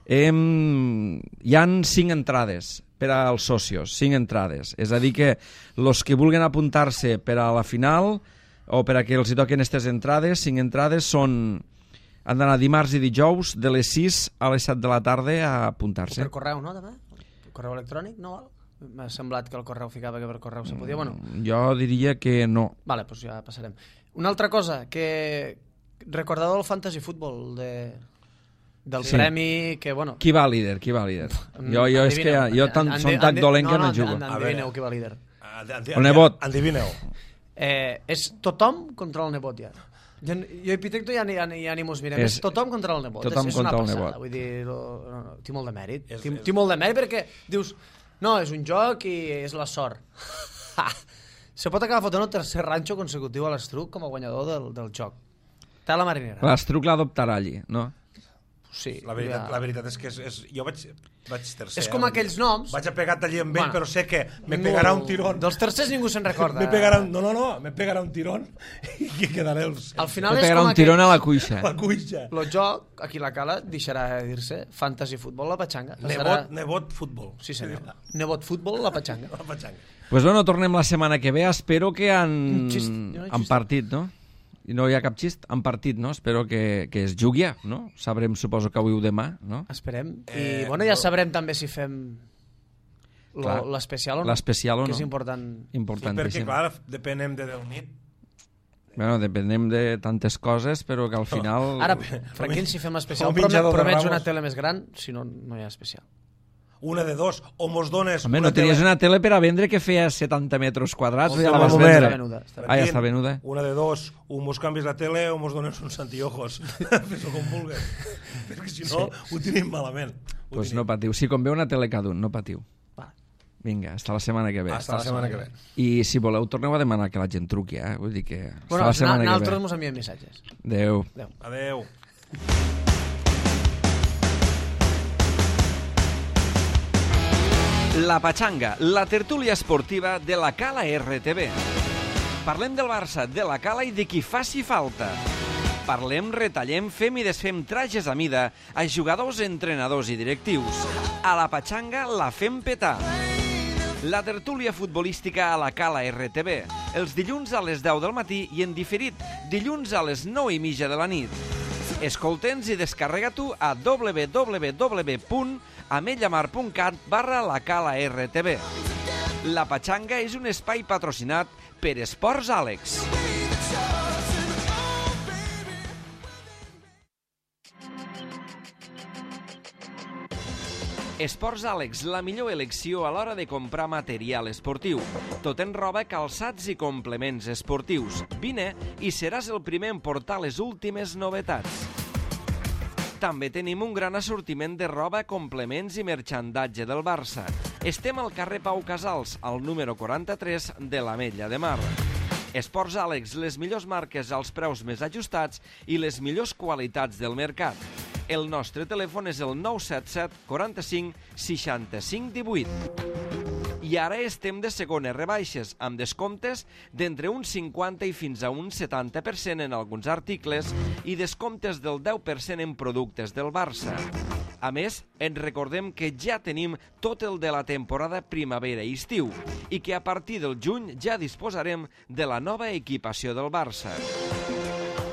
eh, hi han cinc entrades per als socios, cinc entrades. És a dir que els que vulguin apuntar-se per a la final o per a que els hi toquen aquestes entrades, cinc entrades són... Han d'anar dimarts i dijous de les sis a les set de la tarda a apuntar-se. Per correu, no, també? Per correu electrònic, no val? M'ha semblat que el correu ficava que per correu se podia. Bueno, Jo diria que no. vale, doncs ja passarem. Una altra cosa, que recordador del fantasy futbol, de, del Sí. premi, que bueno... Qui va líder? Qui va líder? Jo, jo és que Endivineu. jo tan, Endi- som tan endi- dolent que no en- jugo. en- Endivineu qui va líder. Andi- andi- El nebot. Endivineu. Eh, és tothom contra el nebot, ja. Jo, jo i Pitecto ja ni, ja, ni, ja ni mos mirem. És, és tothom contra el nebot. Tothom és, és contra una el passada. nebot. Vull dir, no, no, no, té molt de mèrit. És- Té, és- té molt de mèrit perquè dius, no, és un joc i és la sort. Se pot acabar fotent el tercer ranxo consecutiu a l'Estruc com a guanyador del, del joc. Té la marinera. L'Estruc l'adoptarà allí, no? Sí, La veritat, ja. la veritat és que és, és, jo vaig, vaig tercer. És com eh? aquells noms. Vaig a pegar allí amb ell, Bueno, però sé que me ningú- pegarà un tirón. Dels tercers ningú se'n recorda. Me pegarà, un- no, no, no, me pegarà un tirón i que quedaré els, Al final Pot és pegar com un tirón a la aquells... cuixa. la cuixa. El joc, aquí la cala, deixarà de dir-se fantasy futbol la patxanga. Nebot, nebot, futbol. Sí, senyor. Nebot futbol la patxanga. La patxanga. Pues bueno, tornem la setmana que ve. Espero que han, Un xist. Jo no he han xist. partit, no? I no hi ha cap xist, han partit, no? Espero que, que es jugui, no? Sabrem, suposo que avui o demà, no? Esperem. I, Eh, bueno, ja no. sabrem també si fem lo- Clar. l'especial o no. L'especial o Que no. és important. Sí, Importantíssim. perquè, clar, depenem de Déu nit. Bueno, depenem de tantes coses, però que al final... Ara, Franquín, si fem especial, un menjador de promets Ramos. una tele més gran, si no, no hi ha especial. Una de dos, o mos dones... Home, una no tenies tele- una tele per a vendre que feia setanta metres quadrats, Home, ja la un vas moment. vendre. Està venuda, està Ah, ja està venuda. Una de dos, o mos canvies la tele o mos dones uns antiojos. Fes-ho com vulguis. Perquè si no, ho tenim malament. Ho Pues tenim. no patiu. Si convé una tele cada un, no patiu. Va. Vinga, hasta la setmana que ve. Hasta la setmana que ve. I si voleu, torneu a demanar que la gent truqui, eh? Vull dir que... Hasta Bueno, la setmana que nosaltres ve. mos enviem missatges. Adéu. Adeu. La Patxanga, la tertúlia esportiva de la Cala R T V. Parlem del Barça, de la Cala i de qui faci falta. Parlem, retallem, fem i desfem trajes a mida a jugadors, entrenadors i directius. A la Patxanga la fem petar. La tertúlia futbolística a la Cala R T V, els dilluns a les deu del matí i en diferit, dilluns a les nou i mitja de la nit. Escolta'ns i descarrega-t'ho a w w w punt ametllamar punt cat barra la Cala R T V. La Patxanga és un espai patrocinat per Esports Àlex. Esports Àlex, la millor elecció a l'hora de comprar material esportiu. Tot en roba, calçats i complements esportius. Vine i seràs el primer en portar les últimes novetats. També tenim un gran assortiment de roba, complements i merchandatge del Barça. Estem al carrer Pau Casals, al número quaranta-tres de l'Ametlla de Mar. Esports Àlex, les millors marques als preus més ajustats i les millors qualitats del mercat. El nostre telèfon és el nou set set quaranta-cinc seixanta-cinc divuit. I ara estem de segones rebaixes, amb descomptes d'entre un cinquanta i fins a un setanta per cent en alguns articles i descomptes del deu per cent en productes del Barça. A més, ens recordem que ja tenim tot el de la temporada primavera i estiu i que a partir del juny ja disposarem de la nova equipació del Barça.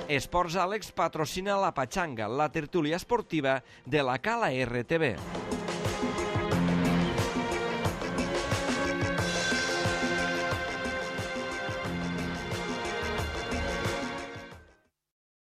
Esports Àlex patrocina la Patxanga, la tertúlia esportiva de la Cala R T V.